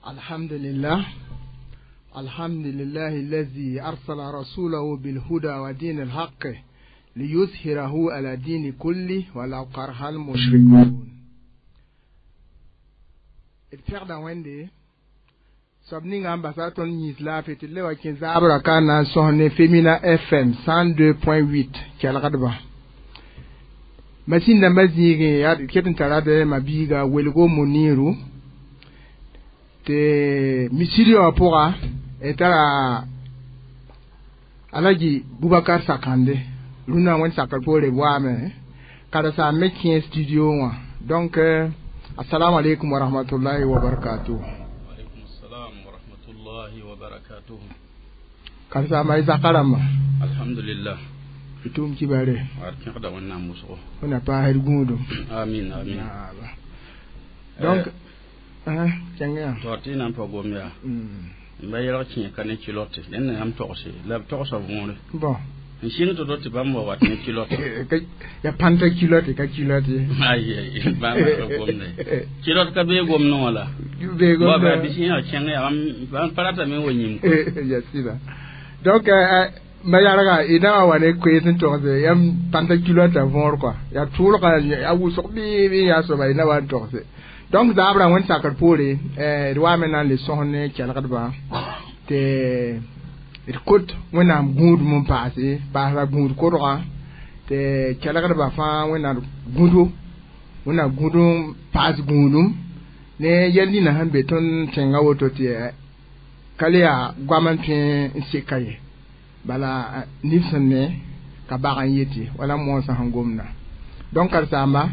Alhamdulillah. Alhamdulillah الذي أرسل رسوله بالهدى ودين الحق ليظهره على دين كله ولو كره المشركون. D pẽgda Wẽnde soab ninga n basa tõnd yĩns laafɩ tɩ d le wa kẽ zaabra ka na n sõs ne Femina FM 102.8 kelgdbã. Masin dãmbã zĩigẽ yaa d ket n tara d ma-biiga Welgo Muniru tɩ misiri wã pʋga d tara Alaji Bubakar Sakande rũnã Wẽnd sakr poore b waame karen-saam me kẽ studio wã. Donc assalamu alaikum wa rahmatullahi wa barakatuh. Alaikum assalam wa rahmatullahi wa barakatuh. Karen-saama y zaka rãmba. Alhamdulillah. D tʋʋm kibare. Ad kẽgda Wẽnnaam wʋsgo. Wẽnna paasd gũudum. Amin, amin. Donc kẽng yaa. To tɩ na n pa gom yaa n ba yɛlg kẽ ka ne culotte dẽnd na yãmb togse la b togsa võore. Bon. N sɩng tɩ tɩ bãmb wa wat ne culotte. Ya pãnta culotte ka culotte ye. Ay, bãmb ka gomde culotte ka bee gomdẽ wã la. Bee gomdẽ. Bɩ sẽn yaa kẽng yaa bãmb pa ratame n wa yĩm. Ya sɩda. Donc ma yarga y na wa ne koees n togse yãmb pãnta culotte võor kɔa yaa tʋʋlga a wʋsg bɩ bɩ yaa soaba y na wa n togse. Donc zaabra Wẽnd sakr poore d waame na n le sõs ne kelgdbã tɩ d kot Wẽnnaam gũudum n paase paasra gũud kodgã tɩ kelgdbã fãa Wẽnnaam gũdo Wẽnnaam gũd n paas gũudum ne yɛl nina sẽn be tõnd tẽngã woto tɩ ka le yaa goam n tõe n seka ye bala nif sẽn ne ka bag n yetɩ wala moonsã sẽn gomda. Donc karen-saamba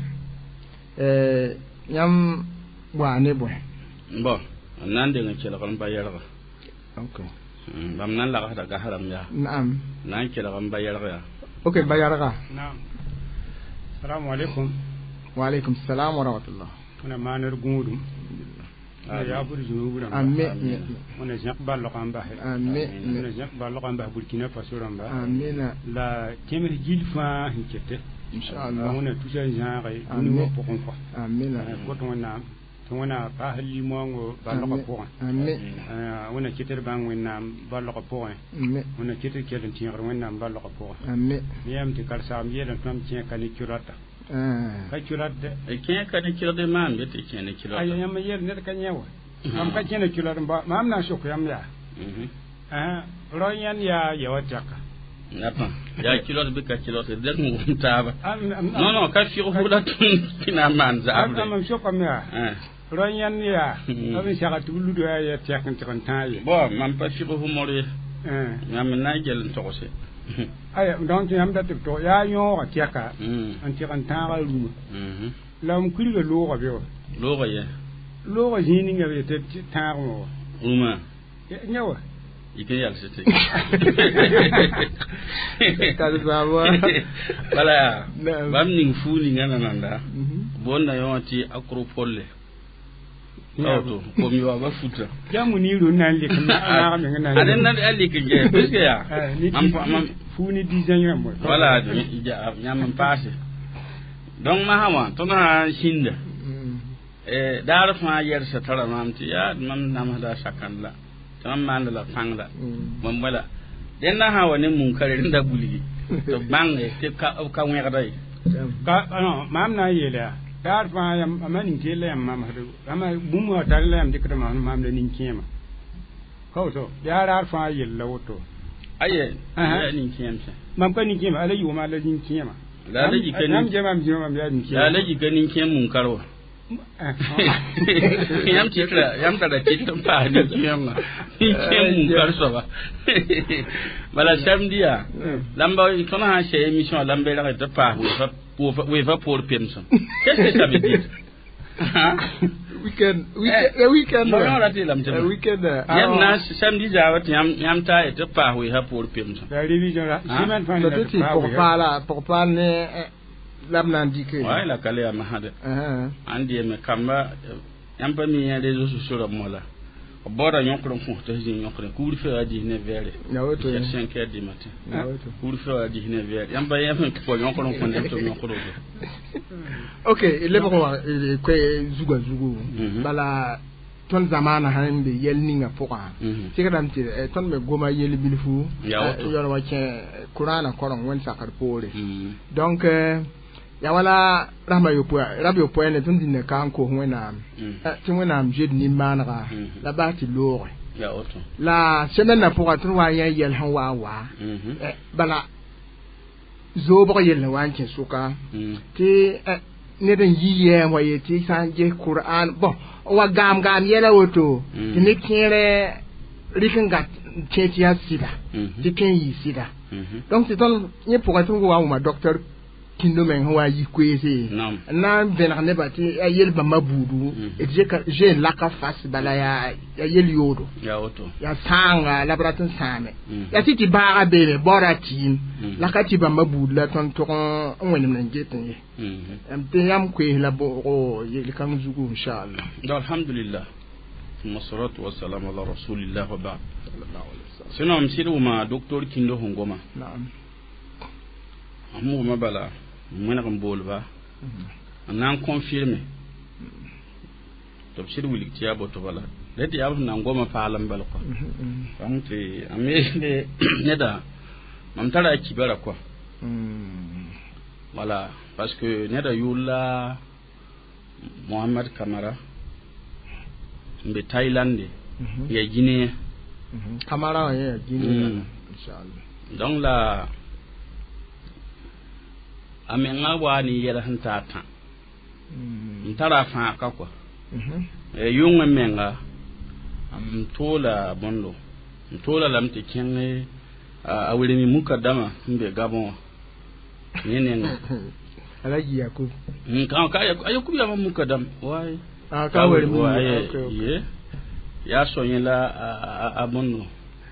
yãmb waa ne bõe? Bon, n na n deng n kelg n ba yɛlga. Ok. Bãmb na n lagsda gas rãmb yaa. Naam. Na n kelg n ba yɛlg yaa. Ok, ba yɛlga. Naam. Assalamu alaikum. Wa alaikum salam wa rahmatullah. Wẽna maanr gũudum. Yaa bʋd zũnub rãmba. Amin. Wẽna zẽk balg n basɛ. Amin. Wẽna zẽk balg n bas Burkina Faso rãmba. Amina. La tẽms gill fãa sẽn kete. Inshallah. Wẽna tusa zãage dũni wã pʋgẽ kɔa. Amina. Kot Wẽnnaam tɩ Wẽna paas limoongo balgã pʋgẽ. Amin. Wẽna ket d bãng Wẽnnaam balgã pʋgẽ. Amin. Wẽna ket d kell n tẽegd Wẽnnaam balgã pʋgẽ. Amin. Yãmb tɩ karen-saamb yeelame tɩ mam kẽ ka ne culotta. Ka culotte dɛ. Kẽ ka ne culotte maan be tɩ kẽ ne culotte. Ay, yãmb yeel ned ka yẽ wa. Mam ka kẽ ne culotte n ba maam na n sok yãmb yaa. Rao yãnd yaa yawa tɛka. Napa yaa culotte bɩ ka culotte d n wʋm taaba. Non, non, ka fɩg fo la tɩ na n maan zabre. Mam sokame yaa. Rao yãnd yaa b n sega tɩ b ludo yaa ya tɛk n tɩg n tãag ye. Bon, mam pa fɩg fo mor ye. Yãmb n na n gel n togse. Aya, donc yãmb dat tɩ b tog yaa yõoga tɛka n tɩg n tãaga rũmã. La m kurga loogã be wa. Loogã ye. Loogã zĩig ninga b yetɩ tãagmã wa. Rũmã. Yã wa. Yik n yals tɩ Karen-saamba. Bala yaa bãmb ning fuu ninga nananda boonda yõ wã tɩ acropole woto kom yaoobã futa. Yaa Muniru n na n lik naag meng na. Ad n na a lik n gɛ puisque yaa mam fuu ne dizain rãmb. Wala yãmb n paase. Donc masã wã tõnd sã n sĩnda daar fãa yɛlsa tara maam tɩ yaa mam namsda sakãnd la tɩ mam maanda la pãng la mam wala dẽnda sã wa ne munkare rẽnda bulgi tɩ b bãnge tɩ b ka wẽgda ye. Ka non maam na n yeela yaa daar fãa yam ama nin-keel la yãmb mamsd ama bũmb wã tar la yãmb dɩkd maam la nin-kẽema ka woto yaa raar fãa yell la woto. Aye, yaa nin-kẽem sã. Mam ka nin-kẽema ala yʋʋma la nin-kẽema. La la yika yãmb jɛ mam zĩma mam yaa nin-kẽema. La la yika nin-kẽem munkar wa. Yãmb tɩtra yãmb tara tɩt n paas nin-kẽemã nin-kẽem munkar soaba bala samedi yaa lamba tõnd sã n sɛ émission la n belg tɩ paas weefã poor pemsem. Qu'est-ce que ça veut dire? Weekend, weekend, weekend. Non, non, la tɩ lame. Weekend. Yãmb na samedi zaaba tɩ yãmb taa tɩ paas weefã poor pemsem. La révision la semaine fãa. La tɩ pʋg paala pʋg paal ne la b na n dɩke. Ouais, la ka le yaa masã dɛ ãn dɩɛme kamba yãmb pa mi yã réseaux sociaux rãmb wala b baooda yõkr n kõs tɩ zĩ yõkre couvre-feu a 19 heures. Ya woto. 5 heures du matin. Ya woto. Couvre-feu a 19 heures yãmb pa yãmb n pa yõkr n kõ neb tɩ b yõkr woto. Ok, lebg wã koe zugã zugu bala Tõnd zamaana sãn be yɛl ninga pʋgã tɩgdame tɩ tõnd me goma yel bilfu yõr wa kẽ Kurana koreng wẽnd sakr poore. Donc ya wala rasma yopoe rab yopoe ne tõnd dĩnna ka n kos Wẽnnaam tɩ Wẽnnaam zoet nin-maanega la bas tɩ looge la semaine na pʋga tõnd wa n yã yɛl sẽn wa n wa bala zoobg yell wa n kẽ sʋka tɩ ned n yi yɛɛm wa yetɩ sã n ges Kur'an bon wa gaam gaam yɛla woto tɩ ne kẽerɛ rɩk n gat kẽ tɩ yaa sɩda tɩ tõe n yɩ sɩda. Donc tɩ tõnd yẽ pʋgã tõnd wa n wʋma docteur Kindo meng sẽn wa n yi koeese n na n vẽneg nebã tɩ a yel bãmba buudu d zoe n laka fas bala yaa yel yoodo yaa sãanga la b rat n sãame yaa tɩ tɩ baaga beeme baoora tɩɩm la ka tɩ bãmba buud la tõnd tʋg n wẽnemd n get n ye tɩ yãmb koees la boogo yel-kãng zugu inchallah. Alhamdulillah, ثم الصلاة والسلام على رسول الله وبعد. Sinon m sɩd wʋma docteur Kindo sẽn goma. Naam. M wʋma bala m wẽneg n boolba n na n confirme tɩ b sɩd wilg tɩ yaa boto bala la tɩ yaa b sẽn na n goma paalem bal kɔa donc tɩ a me neda mam tara a kibara kɔa voilà, parce que neda yʋʋr la Mohamad Kamara n be Thaïlande ya Guinée. Kamara wã yẽ ya Guinée inchallah. Donc la a menga wa ne yɛl sẽn taa tã n tara a fãa ka kɔa yʋngẽ menga m toola bõndo m toola lame tɩ kẽng a welemi mukadama sẽn be Gabon wã yẽ nenga. Alhaji Yakub. Ka a Yakub yaa mukadam waay. Ka welemi. Ye yaa so yẽ la a bõndo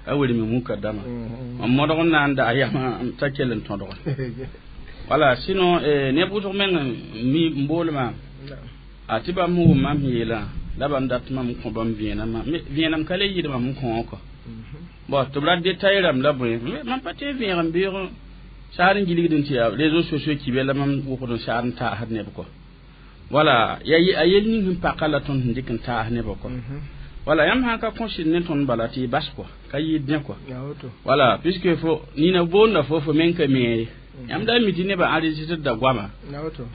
a welemi mukadama m modg n na n daa yama t'a kell n tõdge. Voilà, sinon neb wʋsg meng mi n boolmã a tɩ bãmb sẽn wʋm mam sẽn yeelã la bãmb dat mam n kõ bãmb vẽenemã vẽenem ka le yɩɩd mam n kõ kɔ bon tɩ b ra détail rãmb la bõe mam pa tɩ vẽeg n beoog saar n gilgd n tɩ yaa réseaux sociaux kibe la mam wʋgd n saar n taasd neb kɔ. Voilà, ya a yel ning sẽn paka la tõnd sẽn dɩk n taas nebã kɔ. Voilà, yãmb sã ka kõsɩd ne tõnd bala tɩ y bas kɔ ka yɩɩd dẽ kɔ. Voilà, puisque fo nina boonda fo fo meng ka me ye yãmb da mi tɩ nebã enregistré da goama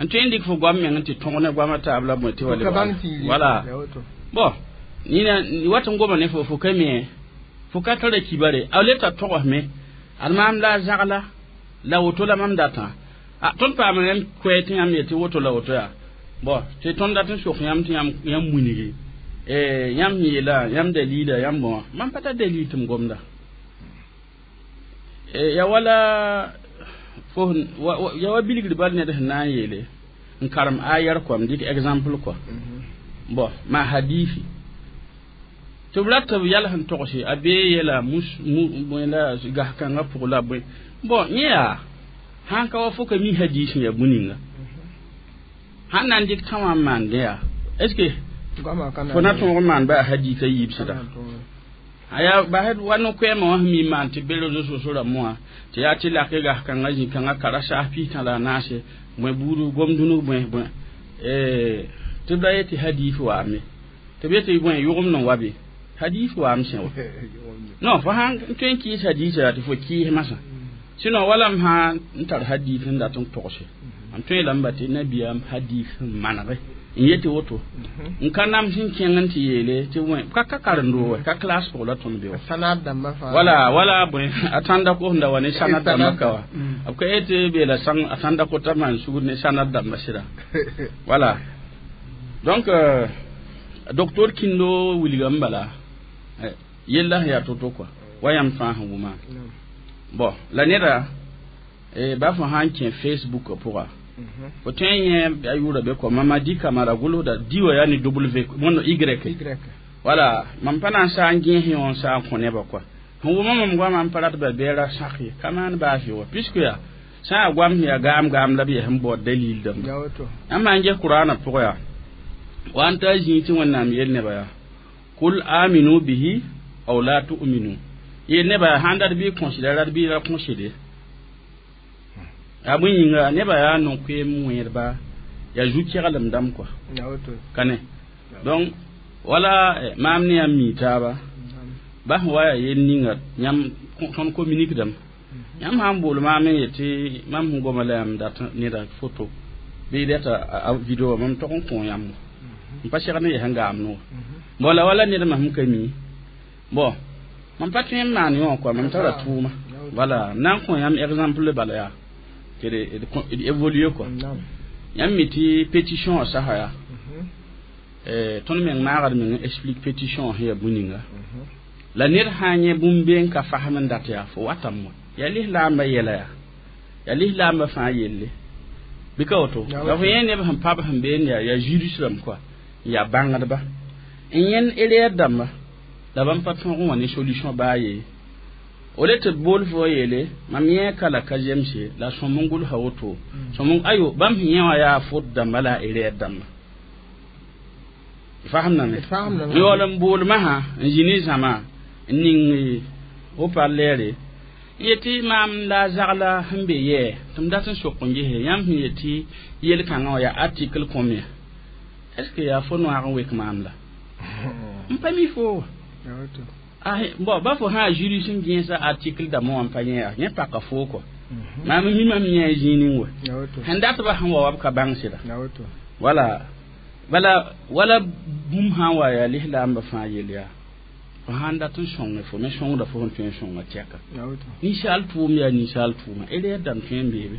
n tõe n dɩk fo goam meng tɩ tõg ne goamã taab la bõe tɩ wa voilà. Bon, nina wat n goma ne fo fo ka me fo ka tara kibare a le t'a togsme ad maam la a zagla la woto la mam datã a tõnd paam yãmb koɛɛ tɩ yãmb yetɩ woto la woto yaa bon tɩ tõnd dat n sok yãmb tɩ yãmb munige yãmb sẽn yeela yãmb dalila yãmb bõa mam pa tar dalil tɩ m gomda ya wala fo ya wa bilgr bal ned sẽn na n yeele n karem ayar kɔ m dɩk exemple kɔ bon ma hadifi tɩ b rat b yɛl sẽn togse a bee yɛla mus la gas-kãngã pʋg la bõe bon yẽ yaa sãn ka wa fo ka mi hadis ya bũninga sãn na n dɩk tã wã n maandẽ yaa est ce que fo na tõog n maan ba a hadisa yiib sɩda aya basd wa no-koɛɛmã wã sẽn mi maan tɩ be réseaux sociaux rãmb wã tɩ yaa tɩ lak gas-kãngã zĩ-kãngã kara saas pis-tã la a naase bõe buud gom dũnug bõe bõe tɩ b ra yetɩ hadis waame tɩ b yetɩ bõe yʋgemd n wa be hadis waam sẽ wa non fo sãn tõe n kɩɩs hadisa tɩ fo kɩɩs masã sinon wala m sã n tar hadis n dat n togse m tõe lame ba tɩ nabiyaam hadis n manege n yetɩ woto n ka nam sẽn kẽng n tɩ yeele tɩ wẽ ka ka karen-doo wa ka classe pʋg la tõnd be wa wala wala bõe a tãnda ko sẽn da wa ne sanad dãmbã ka wa b ka yetɩ beela sãng a tãnda kota maan sugr ne sanad dãmbã sɩda. Voilà, donc docteur Kindo wilgame bala yella sẽn yaa to-to kɔa wa yãmb fãa sẽn wʋma bon la neda ba fo sã n kẽ Facebook pʋga fo tõe n yẽ a yʋʋra be kɔ Mamadi Kamara gʋlsda diwa yaa ne w wõnd y voilà mam pa na n saa n gẽes yõ n saa n kõ nebã kɔa sẽn wʋma mam goamã n pa rat ba beera sak ye ka maan baas ye wa puisque yaa sã n yaa goam sẽn yaa gaam gaam la b yaa sẽn baood dalil dãmba yãmb maan ges Kuraanã pʋgã yaa wa n ta zĩig tɩ Wẽnnaam yel nebã yaa kul aminu bihi aw la tu'minu yel nebã yaa sãn dat bɩ considère rat bɩ ra considère yaa bõe yĩnga nebã yaa no-koeem wẽedba yaa zu-keglem dãmb kɔa ka ne donc Wala maam ne yãmb mi taaba bas wa yaa yel ninga yãmb tõnd communique dame yãmb sã n bool maam n yetɩ mam sẽn goma la yãmb dat neda photo bɩ rɛta a video mam tog n kõ yãmb n pa segd n yaa sẽn gaam noor bon la wala ned mam sẽn ka mi bon mam pa tõe n maan yõ quoi mam tara tʋʋma voilà n na n kõ yãmb exemple bala yaa tɩ d évoluer quoi yãmb mi tɩ pétition wã sasa yaa tõnd meng maagd meng n explique pétition wã sẽn yaa bũ-ninga la ned sã n yẽ bũmb be n ka fasem n dat yaa fo watame wa yaa lislaambã yɛla yaa yaa lislaambã fãa yelle bɩ ka woto la fo yẽ neb sẽn pa b sẽn been yaa yaa juriste rãmb quoi yaa bãngdba n yẽnd erreur dãmba la bãmb pa tõog n wa ne solution baa ye o le tɩ b bool fo yeele mam yẽ ka la ka zemse la sõm n gʋlsa woto sõm ayo bãmb sẽn yẽ wã yaa faute dãmba la a erreur dãmba fasemdame n yaool n bool masã n zĩ ne zãma n ning haut-parleur n yetɩ maam la a zagla sẽn be yɛɛ tɩ m dat n sok n gese yãmb sẽn yetɩ yel-kãngã wã yaa article combien est ce que yaa fo noag n wek maam la n pa mi fo bon ba fo sã juriste n gẽesa article dãmbã wã n pa yẽ yaa yẽ paka fo kɔ maam mi mam yẽ zĩig ning wa sẽn dat ba sẽn wa wa b ka bãng sɩda wala bala wala bũmb sã n wa yaa lislaambã fãa yel yaa fo sãn dat n sõnge fo me sõngda fo sẽn tõe n sõnga tɛka ninsaal tʋʋm yaa ninsaal tʋʋma erreur dãmb tõe n beebe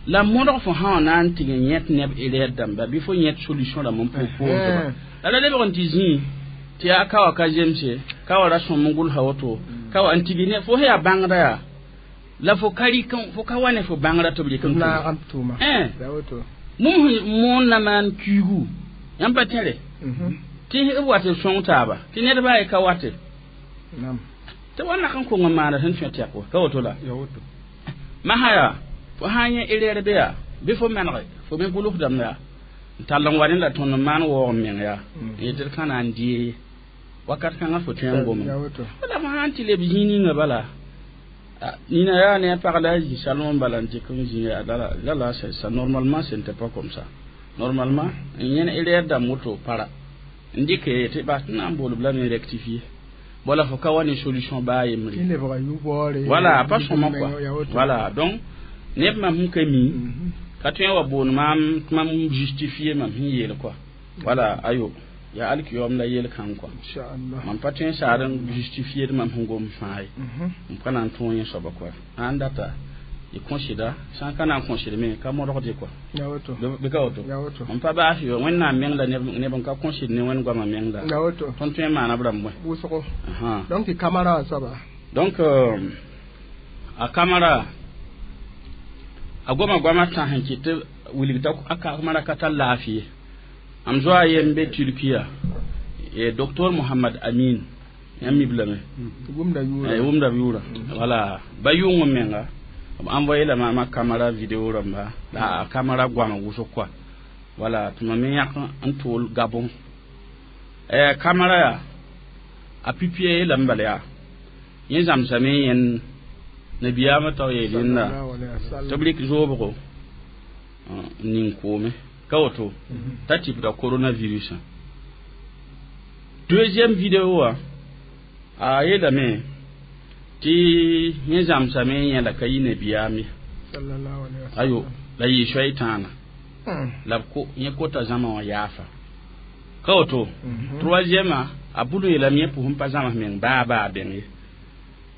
la modg fo sã wã na n tɩg n yẽt neb erreur dãmba bɩ fo yẽt solution rãmb n pʋʋsdba la la lebg n tɩ zĩig tɩ yaa ka wa ka zemse ka wa ra sõm n gʋlsa woto ka wa n tigi ne fo sẽn yaa bãngda yaa la fo ka rɩk fo ka wa ne fo bãngrã tɩ b rɩk n tʋʋma bũmb sẽn moon na maan kuigu yãmb pa tẽre tɩ b wat b sõng taaba tɩ ned baa ye ka wate tɩ wa nak n kong n maana sẽn tõe tɛk wa ka woto la masã yaa fo sã n yẽ erreur be yaa bɩ fo manege fo me gʋlsdame yaa n tall n wa ne la tõnd n maan waoog n meng yaa n yetɩ d ka na n dee wakat kãngã fo tõe n gome la fo sã n tɩ leb zĩig ninga bala nina yaa ne a pag la a zĩ salon bala n dɩk n zĩ la la ça normalement ce n'était pas comme ça normalement n yẽn erreur dãmb woto para n dɩk tɩ bas tɩ na n bool b lame rectifier wala fo ka wa ne solution baa yembre voilà pa sõma quoi voilà donc neb mam sẽn ka mi ka tõe n wa boon maam tɩ mam justifier mam sẽn yeel quoi voilà ayo yaa alkiyoom la yel-kãng quoi mam pa tõe n saad n justifier mam sẽn gom fãa ye m pa na n tõog yẽ soaba quoi sã n data y considère sã n ka na n considère me ka modgde quoi bɩ ka woto m pa baas yo wẽnnaam meng la neb n ka considère ne wẽnd goamã meng la tõnd tõe n maana b rãmb wʋsgo donc tɩ kamara wã soaba donc a kamara a goma goamã tã sẽn kɩt tɩ wilg t'a a kamara ka tar laafɩ ye am zoa yen be Turkiya e docteur Mohamad Amin yãmb mi b lame wʋmda yʋʋra wʋmda b yʋʋra voilà ba yʋng n menga b envoyé la maama kamara vidéo rãmba la a kamara goama wʋsg quoi voilà tɩ mam me yãk n tʋʋl Gabon kamara yaa a publier lame bala yaa yẽ zãmsame yẽnd nabiyaamã tao yeel yẽnda tɩ b rɩk zoobgo n ning koome ka woto t'a tɩpda coronavirus deuxième vidéo wã a yeelame tɩ yẽ zãmsame yẽla ka yi nabiyaam ye ayo la yɩ soay tãana la b yẽ kota zãma wã yaafa ka woto troisième a bʋd yeelame yẽ pʋsẽn pa zãms meng baa baa bẽng ye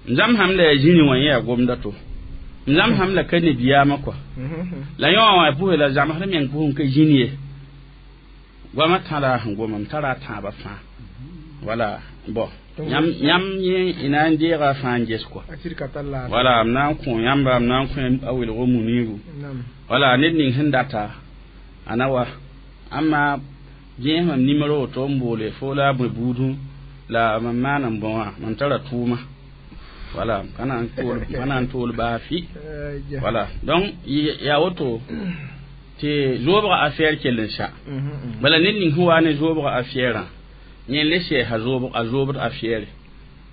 n zãmsam la yaa zĩni wã yẽ yaa gomda to n zãmsam la ka nabiyaamã kɔa la yõ wã pʋsẽ la zãmsd meng pʋsẽn ka zĩni ye goamã tãda sẽn goma m tara a tãabã fãa voilà bon yãmb yẽ na n deega fãa n ges kɔa voilà m na n kõ yãmba m na n kõ a welgo muniru voilà ned ning sẽn data a na wa ãmma gẽes mam nimero woto n boole fo la a bõe buudẽ la mam maan n bõ wã mam tara tʋʋma voilà ka na n tool baa fɩ voilà donc yaa woto tɩ zoobga affaire kell n sa bala ned ning sẽn wa ne zoobga affaire yẽ le sɛɛsa a zoobd affaire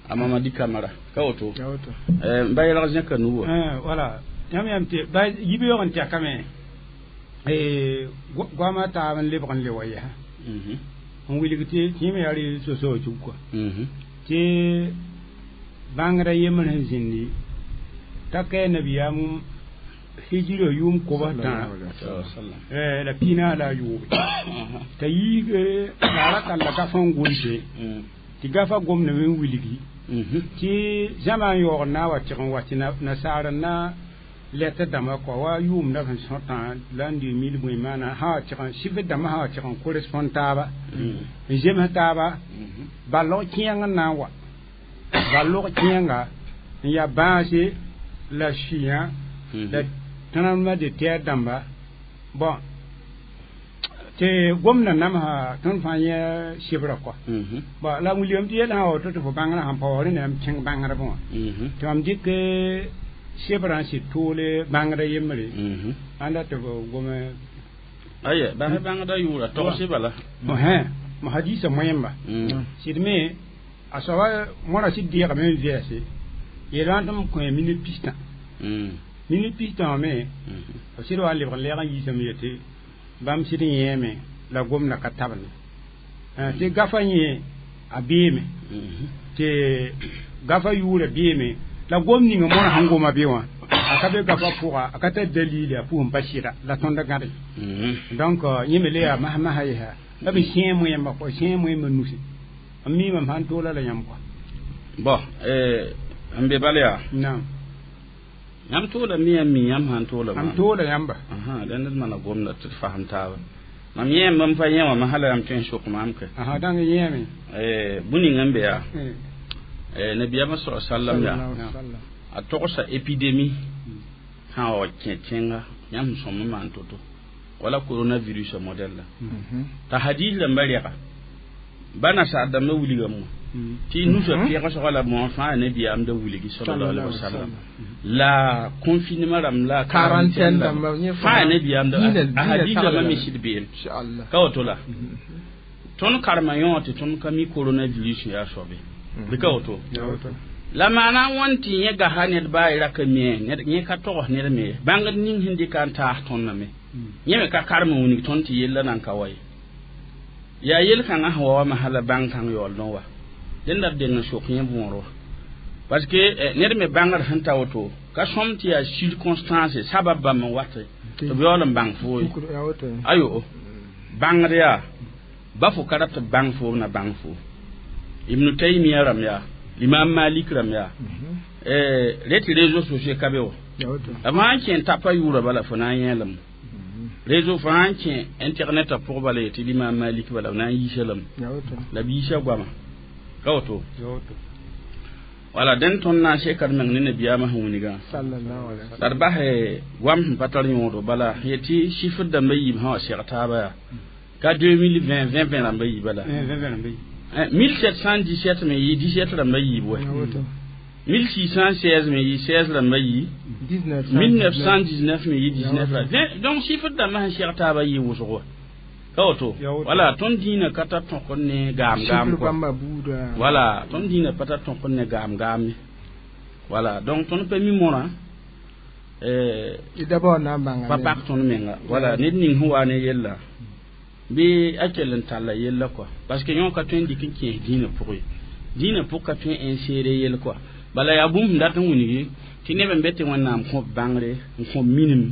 a Mamadi Kamara ka woto n ba yɛlg zẽka nu wa voilà yãmb yam tɩ ba yibeoog n tɛkame goamã taab n lebg n le wa yɛsa N wilg tɩ kẽem yaa réseaux sociaux zug kɔa tɩ bãngrã yembr sẽn zĩndi t'a kɛɛ nabiyaam hijira yʋʋm kobs tã la pinaas la a yoobe t'a yiig laara talla gafã n gʋlse tɩ gafã gomdame n wilgi tɩ zãma n yaoog n na n wa tɩg n wa tɩ nasaar n na lɛtr dãmbã kɔa wa yʋʋmda sẽn sõtã l'an 2000 bõe maana sã wa tɩg n sɩfr dãmbã sã wa tɩg n correspond taaba n zems taaba balg kẽeng n na n wa balg kẽenga n yaa bãase la sũyã la tremblement de terre dãmba bon tɩ gomdã namsa tõnd fãa yẽ sɩbrã kɔa bon la wilgame tɩ yɛl sã wa woto tɩ fo bãngrã sãn pa wa rẽnd yãmb kẽng bãngdbẽ wã tɩ mam dɩk sɩbrã n sɩd toole bãngda yembre ãnda tɩ b gome aya bas bãngda yʋʋra togsɩ bala hẽ hadisa moẽmba sɩd me a soaba mõra sɩd deegame n vɛɛse yeelwã tɩ m kõ minute pistã minute pistã wã me b sɩd wa n lebg n lɛɛg n yiisame yetɩ bãmb sɩd n yẽeme la gomdã ka tabne tɩ gafã yẽ a beeme tɩ gafã yʋʋra beeme la gom ninga mõra sẽn goma be wã a ka be gafã pʋga a ka tar dalile a pʋgẽ pa sɩda la tõnd gãde donc yẽ me le yaa mas-masã yesa la b sẽe moẽmba kɔ sẽe moẽmba nusi n miimame sãn toola la yãmb kɔa bon n be bal yaa naam yãmb toola mi yãmb mi yãmb sãn toola mam toola yãmba dẽnd d mana gomda tɩ d fasem taaba mam yẽem n pa yẽ wã masã la yãmb tõe n sok maam ke dãng yẽeme bũ-ning n be yaa nabiyaamã sa sallam yaa a togsa épidémie sã wa kẽ tẽnga yãmb sẽn sõm n maan to-to wala coronavirus modèle la t'a hadis rãmbã rɛga ba nasaar dãmbã wilgame wã tɩ nusã pẽgsgã la moã fãa nabiyaam da wilgi sallallahu alaihi wasallam la confinement rãmb la quarantaine dãmba fãa nabiyaam da a hadis rãmbã me sɩd beem ka woto la tõnd karema yõ tɩ tõnd ka mi coronavirus yaa soabe bɩ ka woto la maana n wãn tɩ yẽ gasa ned baa y raka me yẽ ka togs ned me bãngd ning sẽn dɩka n taas tõndame yẽ me ka karem n wilg tõnd tɩ yella nan ka wa ye yaa yel-kãngã sẽn wa wa masã la bãng kãng yaool n wa dẽnda b deng n sok yẽ võor wa parce que ned me bãngd sẽn ta woto ka sõm tɩ yaa circonstance sabab bãmb n wat tɩ b yaool n bãng foo ye ayo bãngd yaa ba fo ka rat tɩ b bãng foo b na bãng foo Ibn Taymiya rãmb yaa l'imam Malik rãmb yaa re tɩ réseaux sociaux ka be wa b sã n kẽ n tapa yʋʋra bala fo na n yẽelame réseau fo sã n kẽ internet a pʋg bala yetɩ l'imam Malik bala b na n yiisa lame la b yiisa goama ka woto wala dẽnd tõnd na n sekd meng ne nabiyaamã sẽn wilgã la d bas goam sẽn pa tar yõodo bala yetɩ chiffre dãmbã yiib sã wa seg taaba yaa ka 2020 20 rãmbã yiib bala 1717 me yɩ 17 rãmbã yiib wɛ 1616 me yɩ 16 rãmbã yi 1919 me yɩ 19 ra donc chiffre dãmbã sẽn seg taaba yɩ wʋsg wa ka woto wala tõnd dĩinã ka tar tõk n ne gaam gaam wala tõnd dĩinã pa tar tõk n ne gaam gaam ye wala donc tõnd pa mi mõrã pa pak tõnd menga wala ned ning sẽn wa ne yella bɩ a kell n talla yella kɔa parce que yõ ka tõe n dɩk n kẽes dĩinã pʋgẽ ye dĩinã pʋg ka tõe n insérer yell kɔa bala yaa bũmb sẽn dat n wilgi tɩ neb n be tɩ Wẽnnaam kõb bãngre n kõb minim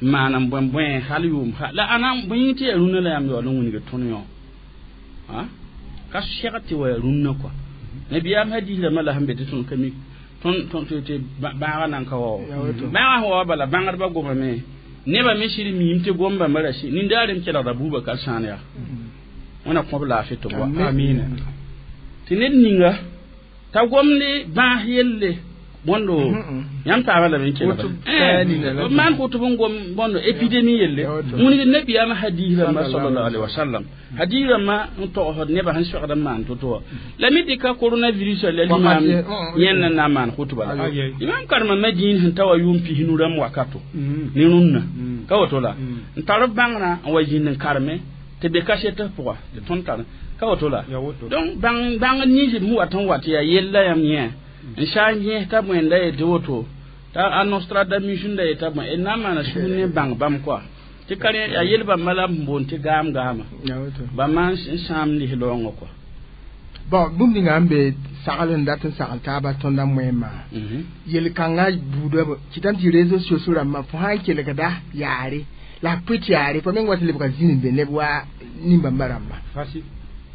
n maan n bõe hal yʋʋm la ãna bõe yĩng tɩ yaa rũnã la yãmb yaool n wilg tõnd yõ ka segd tɩ wa yaa rũnnã kɔa nabiyaam hadis rãmbã la sẽn be tɩ tõnd ka mi tõnd tɩ bãagã nan ka wa bãagã sẽn wa bala bãngdbã gomame nebã me sɩd miim tɩ gom bãmba ra nindaar n kelgda Bubakar sãan yaa wẽna kõb laafɩ tɩ b wa amina tɩ ned ninga t'a gomde bãas yelle bõndo yãmb taabã lame n kelga b maan kotb n gom bõndo épidémie yelle wĩnigd nabiyaamã hadis rãmbã sallallahu alaihi wasallam hadis rãmbã n togsd nebã sẽn soagd n maan to-to wã la me dɩka coronavirus la limaam yẽnd n na n maan kotba la imam karema Madin sẽn ta wa yʋʋm pisnu rãmb wakato ne rũnnã ka woto la n tar b bãngrã n wa zĩnd n kareme tɩ be kaset pʋga tɩ tõnd tar ka woto la donc bãng bãng nins b sẽn wat n wat yaa yella yãmb yẽ n sa n yẽs t'a bõe la yetɩ woto t'a a Nostradamus da yeta bõe na n maana sũur ne bãng bãmb koa Tɩ ka rẽ yaa yel bãmba la b boond tɩ gaam gaama bãmba n sãam lis-raoongã kɔa. Bon, bũmb ninga n be sagl n dat n sagl taaba tõndã moẽmã yel-kãngã buudã kɩtame tɩ réseaux sociaux rãmbã fo sã n kelgda yaare la f pʋɩt yaare fo meng wa tɩ lebga zĩnd n be neb wa nin-bãmba rãmba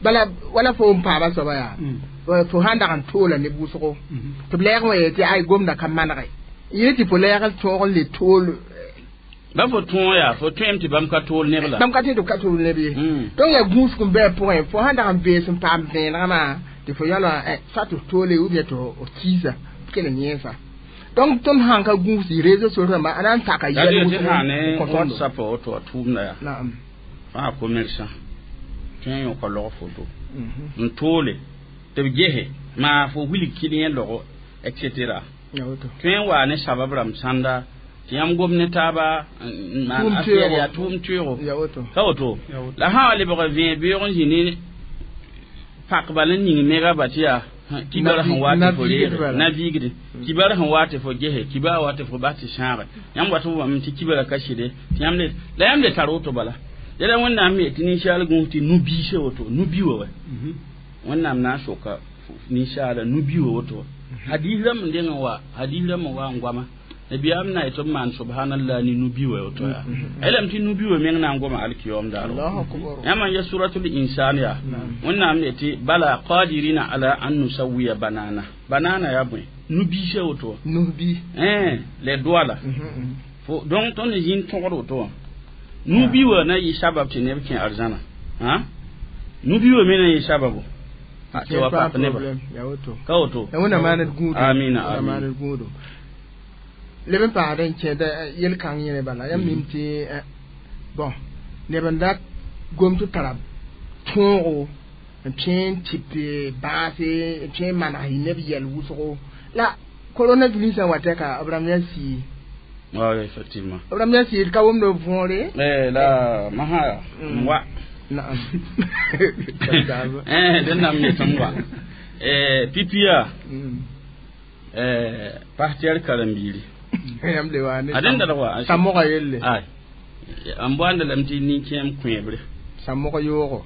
bala wala fo n paama soaba yaa fo sãn dag n toola neb wʋsgo tɩ b lɛɛg wã yee tɩ ay gomda ka manege yẽ tɩ fo lɛɛg tõog n le tool ba fo tõog yaa fo tõem tɩ bãmb ka tool neb la bãmb ka tẽ tɩ b ka tool neb ye donc yaa gũusg n bɩ a pʋgẽ fo sãn dag n bees n paam vẽenegmã tɩ fo yalã soit tɩ f toole ou bien tɩ f kiisa f kell n yẽesa donc tõnd sãn ka gũus tɩ réseaux sociaux rãmba a na n taka yɛl wʋsg WhatsApp woto a tʋʋmda yaa naam fãa commerçant tõe n yõka log foto n toole tɩ b gese maa fo wilg kɩl yẽ logo etc. Tõe n waa ne sabab rãmb sãnda tɩ yãmb gom ne taaba n maan affaire yaa tʋʋm teoogo ka woto la sã wa lebg vẽe beoog n zĩ ne pak bal n ning megaba tɩ yaa kibar sẽn wa tɩ fo reege na viigde kibar sẽn wa tɩ fo gese kibar wa tɩ fo bas tɩ sãage yãmb wat f wame tɩ kibara ka sɩde tɩ yãmb le la yãmb le tar woto bala yɛla Wẽnnaam me tɩ ninsaal gũus tɩ nu-biisã woto nu-bi wã wa Wẽnnaam na n soka ninsaala nu-bi wã woto hadis rãmb n deng n wa hadis rãmb n wa n goama nabiyaam na yetɩ b maan subhanallah ne nu-bi wã woto yaa yelame tɩ nu-bi wã meng na n goma alkiyom daaro yãmb n ya suratul insan yaa Wẽnnaam ne tɩ bala qadirina ala an nusawiya banana banana yaa bõe nu-biisã woto nu-bi le doa la fo donc tõnd zĩnd tõgd woto wã nu-bi wã na yɩ sabab tɩ neb kẽ arzãna nu-bi wã me na yɩ sababo tɩ wa pak neba ka woto Wẽnnaam maaned gũudo amina. Maaned gũudo leb n paasd n kẽeda yel-kãng yẽne bala yãmb mim tɩ bon neb n dat gom tɩ tara tõogo n tõe n tɩp bãase n tõe n maneg neb yɛl wʋsgo la coronavirus wa tɛka b rãmb yaa sii. Oui, effectivement. B rãmb yaa sii d ka wʋmd b võore. Eh, la maha wa. Naam. Eh, dẽn na n me tɩ n wa. Eh, pipia. Eh, partenaire karen-biiri. Yãmb le wa ne. A dẽn dalg wa. Sã-moga yelle. Ay. N boanda lame tɩ nin-kẽem kõeebre. Sã-mog yoogo.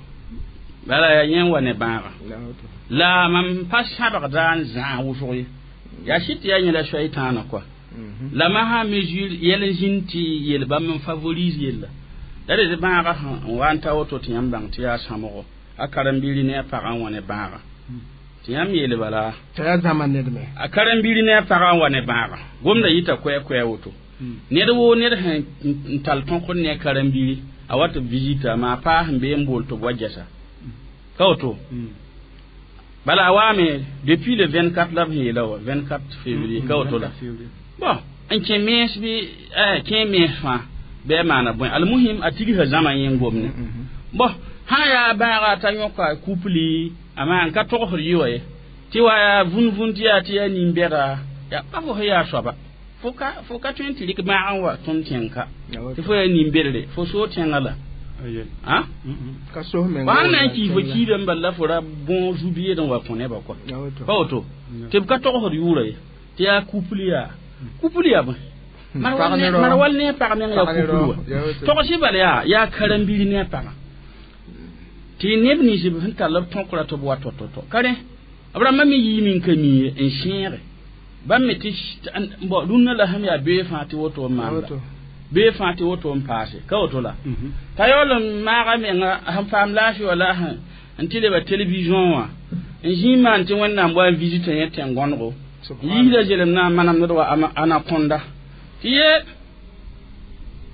Bala yaa yẽ n wa ne bãaga. La mam pa sãbgda n zãag wʋsg ye. Yaa sɩd tɩ yaa yẽla soay-tãana kɔa. La masã mesure yɛl n zĩnd tɩ yel bãmb n favorise yella. La d bãaga n wa n ta woto tɩ yãmb bãng tɩ yaa sãmgo a karen-biiri ne a pagã n wa ne bãaga. Tɩ yãmb yeel bala. T'a yaa zãma ned me. A karen-biiri ne a pagã n wa ne bãaga. Gomda yita koɛɛ-koɛɛ woto. Ned woo ned sẽn n tall tõkd ne a karen-biiri a wa tɩ b visita maa paa sẽn bee n bool tɩ b wa gɛsa. Ka woto. Bala a waame depuis le 24 la b sẽn yeela wa 24 février ka woto la. Bon, n kẽ mens bɩ kẽ mens fãa bɩ a maana bõe almuhim a tigsã zãma yẽ n gomne. Bon, sã yaa bãaga t'a yõka couple a maan ka togsd yɩ wa ye tɩ wa yaa vũn-vũn tɩ yaa tɩ yaa nin-bɛda yaa pa fo sẽn yaa soaba fo ka tõe n tɩ rɩk bãag n wa tõnd tẽng-ka tɩ fo yaa nin-bedre fo soog tẽngã la. Ka sos menga. Wa na n kii fo kiidã n bal la fo ra bõo zu-beed n wa kõ nebã kɔa pa woto tɩ b ka togsd yʋʋra ye tɩ yaa couple yaa couple yaa bõe mar wal ne a pag meng yaa couple wa togsɩ bala yaa yaa karen-biir ne a pagã tɩ neb nins b sẽn tall b tõkra tɩ b wa to-to-to ka rẽ b rãmbã me yiime n ka mi ye n sẽege bãmb me tɩ bon rũnnã la sẽm yaa bee fãa tɩ woto n maanda bee fãa tɩ woto n paase ka woto la t'a yaool n maaga menga sẽn paam laafɩ wã la n tɩ leba télévision wã n zĩig maan tɩ Wẽnnaam wa n visita yẽ tẽn-gõnego yiisda zelem na n manamd wa anaconda tɩ ye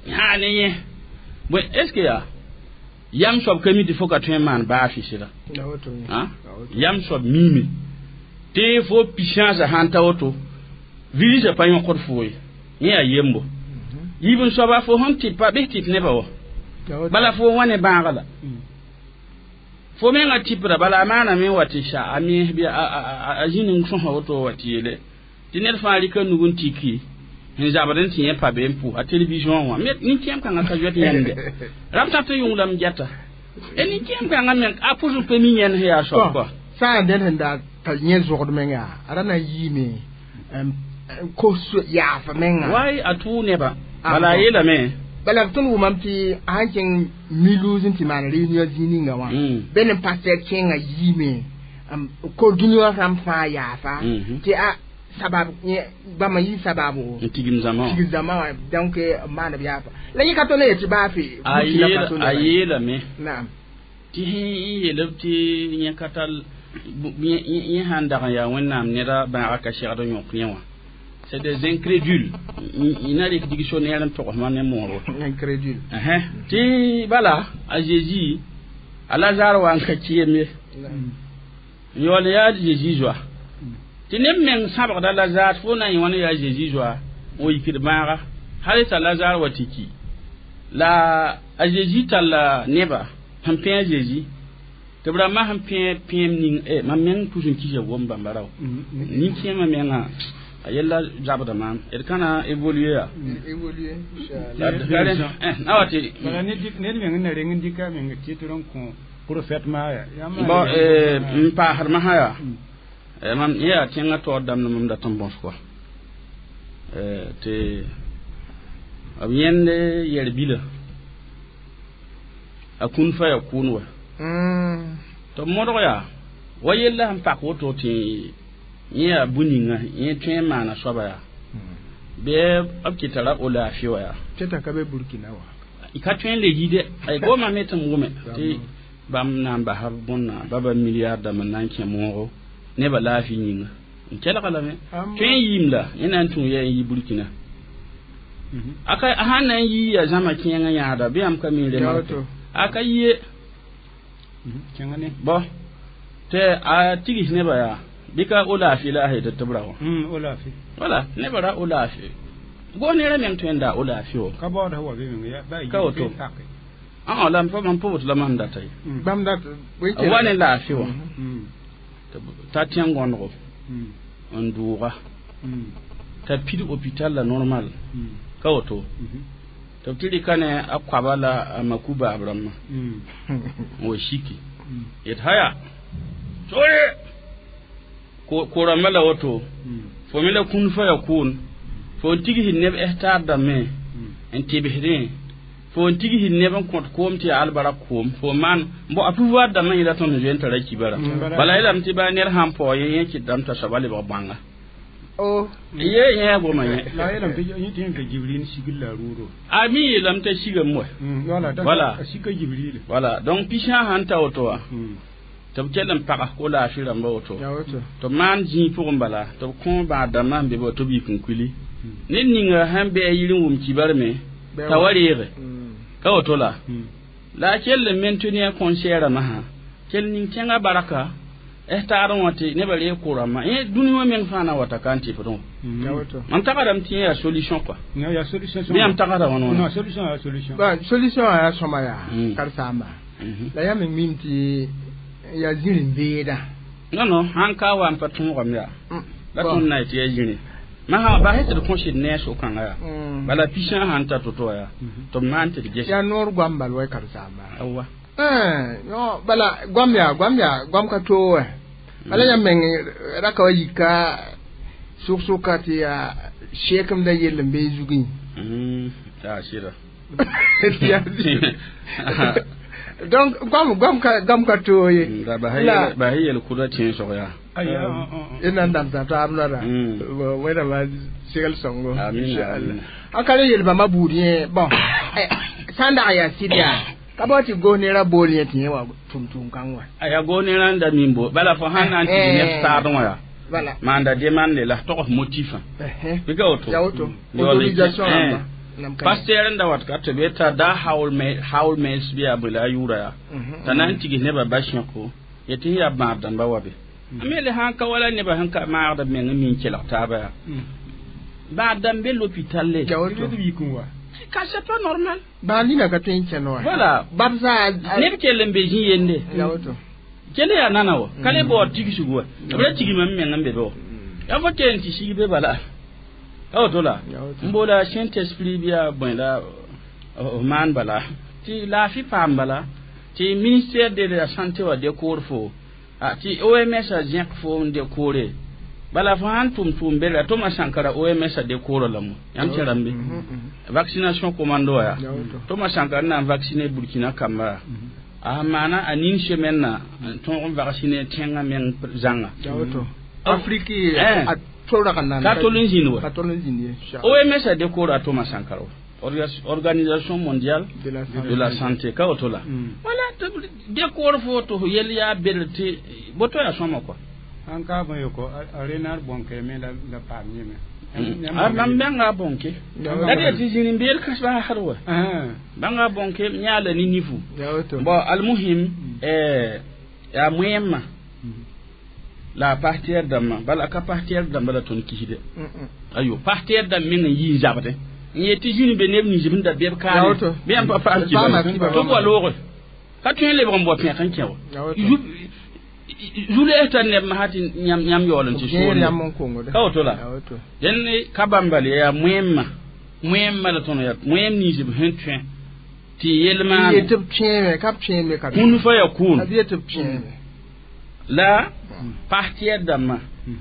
yaa ne yẽ bõe est ce que yaa yam soab ka mi tɩ fo ka tõe n maan baa fɩsda yam soab miime tɩ fo puissance sãn ta woto virusã pa yõkd fo ye yẽ yaa yembo yiib n soaba fo sẽn tɩpa bɩs tɩp nebã wa bala fo wã ne bãaga la fo menga tɩpda bala a maaname n wa tɩ sa a mens bɩ a zĩnd n sõsa woto wa tɩ yeele tɩ ned fãa rɩka nug n tiki n zabd n tɩ yẽ pa be n pʋ a télévision wã nin-kẽem kãngã ka zoet yẽmde rab tã tɩ yʋnglame gɛta e nin-kẽem kãngã meng a pʋs n pa mi yẽnd sẽn yaa soab kɔa sã n dẽnd sẽn da t'a yẽ zogd menga a ra na n yiime n kos yaaf menga way a tʋʋ nebã bala a yeelame Bala tõnd wʋmame tɩ a sãn kẽng Mulhouse n tɩ maan réunion zĩig ninga wã bɩ ne pasteur kẽngã yiime ko dũni wã rãmb fãa yaafa tɩ a sabab bãmba yɩ sababo n tigim zãma tigim zãma wã donc maan b yaafa la yẽ ka tõnd yetɩ baa fe a yeelame naam tɩ sẽn yeel b tɩ yẽ ka tar yẽ sãn dag n yaa wẽnnaam neda bãaga ka segd n yõk yẽ wã. C'est des incrédules. Ina rɩk dictionnaire n togs ma ne mooro. Incrédule. Tɩ bala a Jésus a Lazare wa n ka kɩɩm ye. N yaool yaa Jésus zoa. Tɩ neb meng sãbgda Lazare fo na n yẽ wã ne yaa Jésus zoa n yikd bãaga hal t'a Lazare wa tɩ ki. La a Jésus talla neba sẽn pẽ a Jésus tɩ b rãmbã sẽn pẽ pẽem ning mam meng pʋs n kisa gom bãmba rao. Nin-kẽemã mengã a yella zabda maam d kana évoluer ya évoluer inchallah na wa tɩ bala ned meng n na reng n dɩka meng titre n kõ prophète maa ya bon n paasd masã yaa mam yẽ yaa tẽngã taoor dãmb mam dat n bõs kɔa tɩ b yẽnd yɛr bila a kũn fa yaa kʋʋn wa tɩ b modg yaa wa yella sẽn pak woto tɩ yẽ yaa bũ-ninga yẽ tõe n maana soaba yaa bɩ b kɩta ra o laafɩ wa yaa tɩ ka be Burkina wa ka tõe n le yide ay goma me tɩ m wʋme tɩ bãmb na n basa bõnna baba milliard dãmb n na n kẽ moogo nebã laafɩ yĩnga n kelga lame tõe n yiim la yẽ na n tũ ya n yi Burkina aka a sãn na n yii ya zãma kẽengã yãada bɩ yãmb ka mi remarke a ka yie bõ tɩ a tigs nebã yaa bɩ ka o laafɩ la a sẽn tɩ b ra wã o laafɩ wala nebã ra o laafɩ go nera meng tõe n daa o laafɩ wã ka baood wa be meng ya ka woto la mam pʋbd la mam data ye bãmb dat wa ne laafɩ wã t'a tẽ gõndgo n dʋʋga t'a pid hôpital la normal ka woto tɩ b tɩ rɩka ne a koaba la a maku-baab rãmbã n wa siki yet haya sore ko rãmbã la woto fo me la kũn fa ya kʋʋn fo n tigsd neb hectare dãmbẽ n tɩbsdẽ fo n tigsd neb n kõt koom tɩ yaa albarak koom fo maan bo a pouvoir dãmbã yẽla tõnd zoe n tara kibara bala yeelame tɩ baa ned sãn paoog yẽ yẽ kɩtdame t'a soaba lebg bãnga oh ye yẽ goma yẽ la yeelame tɩ yẽ tɩ yẽ ka Jibril sigl la rʋʋdo a mi yeelame t'a sigame wa voilà a sika Jibril voilà donc pisã sãn ta woto wã tɩ b kell n pag ko laafɩ rãmba woto tɩ b maan zĩig pʋgẽ bala tɩ b kõ bãad dãmbã n be ba tɩ b yik n kuili ned ninga sãn bɩ a yir n wʋm kibar me t'a wa reege ka woto la la a kell n maintenir conseil masã kell ning kẽngã baraka hectare wã tɩ nebã reeg ko-rãmbã yẽ dũni wã meng fãa na wata ka n tɩpdẽ wã mam tagsdame tɩ yẽ yaa solution quoi yaa solution bɩ yãmb tagsda wãn wãna solution yaa solution solution yaa sõma yaa karsaamba la yaa meng mim tɩ yaa zĩr n beeda non non sãn ka wa n pa tõogame yaa la tõnd na tɩ yaa zĩri masã basɛ tɩ d kõsd ne a so-kãngã yaa bala pisã sãn ta to-to yaa tɩ b maan tɩ d ges yaa noor goam bal wa karsaamba awa no bala goam yaa goam yaa goam ka too wɛ bala yãmb meng ra ka wa yika sʋk-sʋka tɩ yaa sheekemda yell n bee zugẽ yaa sɩda donc goam ka too ye ba yel kʋda tẽnsg yaa y na n dãmsa taab noada wẽnnaam segl sõngo inchallah an ka le yel bãmba buud yẽ bon sã n dag yaa sɩd yaa ka bao tɩ gos nera bool yẽ tɩ yẽ wa tʋm tʋʋm kãng wã a yaa gos nera n da min bo bala fo sãn na n tɩ neb taadẽ wã yaa voilà maanda demande la tog motif bɩ ka woto ya woto autorisation rãmba pasteur n da wat ka tɩ be t'a da haul mels bɩ yaa bõe la a yʋʋra yaa t'a na n tigs nebã ba-sẽko yetɩ sẽn yaa bãad dãmba wa be a me le sãn ka wala nebã sẽn ka maagd b meng n min kelg taaba yaa bãad dãmb be l'hôpital le ka c'est pas normal bãad nina ka tõe n kẽnd wa voilà bab zaa neb kell n be zĩ yende ya woto kell yaa nana wa ka le baood tigsg wa b ra tigma m meng n be be wa yaa fo kell n tɩ sig be bala ka woto la n boola saint esprit bɩ yaa bõe la b maan bala tɩ laafɩ paam bala tɩ ministère de la santé wa dekoor fo tɩ OMS a zẽk fo n dekoore Bala fo sãn tʋm tʋʋm bela Thomas Sankara OMS a décoro la mo yãmb tẽrame vaccination commando ya Thomas Sankara na n vacciner Burkina kamba a maana a nin semaine na tõog n vacciner tẽngã meng zãnga Afrique a tora ka ka tol n zĩnd wa ka tol n zĩnd ye OMS a décoro a Thomas Sankara Organisation mondiale de la santé ka woto la wala décor fo to yel ya bel tɩ boto ya sõma quoi an ka bõ yoko a renar bõnke me la paam yẽme a mam bãnga bõnke la d tɩ zĩni beel kas baasd wa bãnga bõnke yã la ne nifu bon almuhim yaa moẽmã la a pas tɛɛr dãmbã bala a ka pas tɛɛr dãmba la tõnd kisde ayo pas tɛɛr dãmb meng n yi n zabdẽ n yet tɩ zĩni be neb nins b sẽn da beb kaane bɩ yãmb pa paam tɩ b wa looge ka tõe n lebg n bao pẽk n kẽ wa zu-lees tar neb masã tɩ yãmb yaool n tɩ soone ka woto la dẽnd ka bãmba le yaa moẽmã moẽmã la tõnd yaa moẽm nins b sẽn tõe tɩ yel maane kũn fa yakun la pas tɛɛr dãmbã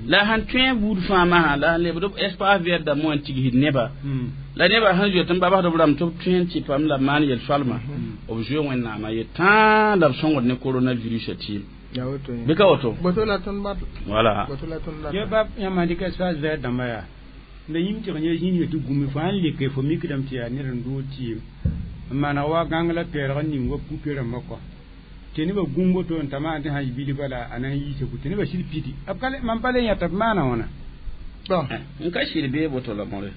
la sãn tõe buud fãa masã la sãn lebd b espace vert dãmbã wã n tigsd neba la neba sẽn zoet n babsd b rãmb tɩ b tõe n tɩ pam la b maan yel-soalma b zoe wẽnnaamã ye tãa la b sõngd ne coronavirus a tɩɩm bɩ ka woto voilà ye bab yãmb dɩk espace vert dãmbã yaa la yĩm tɩg yẽ zĩnd ye tɩ gũmi fo sãn leke fo mikdame tɩ yaa ned n doog tɩɩm n maneg wa gãng la pɛɛlg n ning wa pupe rãmbã kɔ tɩ nebã gũm woto n ta maan tɩ sã yɩ bilba la a na n yiisa tɩ nebã sɩd pidi b ka mam pa le yãta b maana wãna bon n ka sɩd bee boto la mõre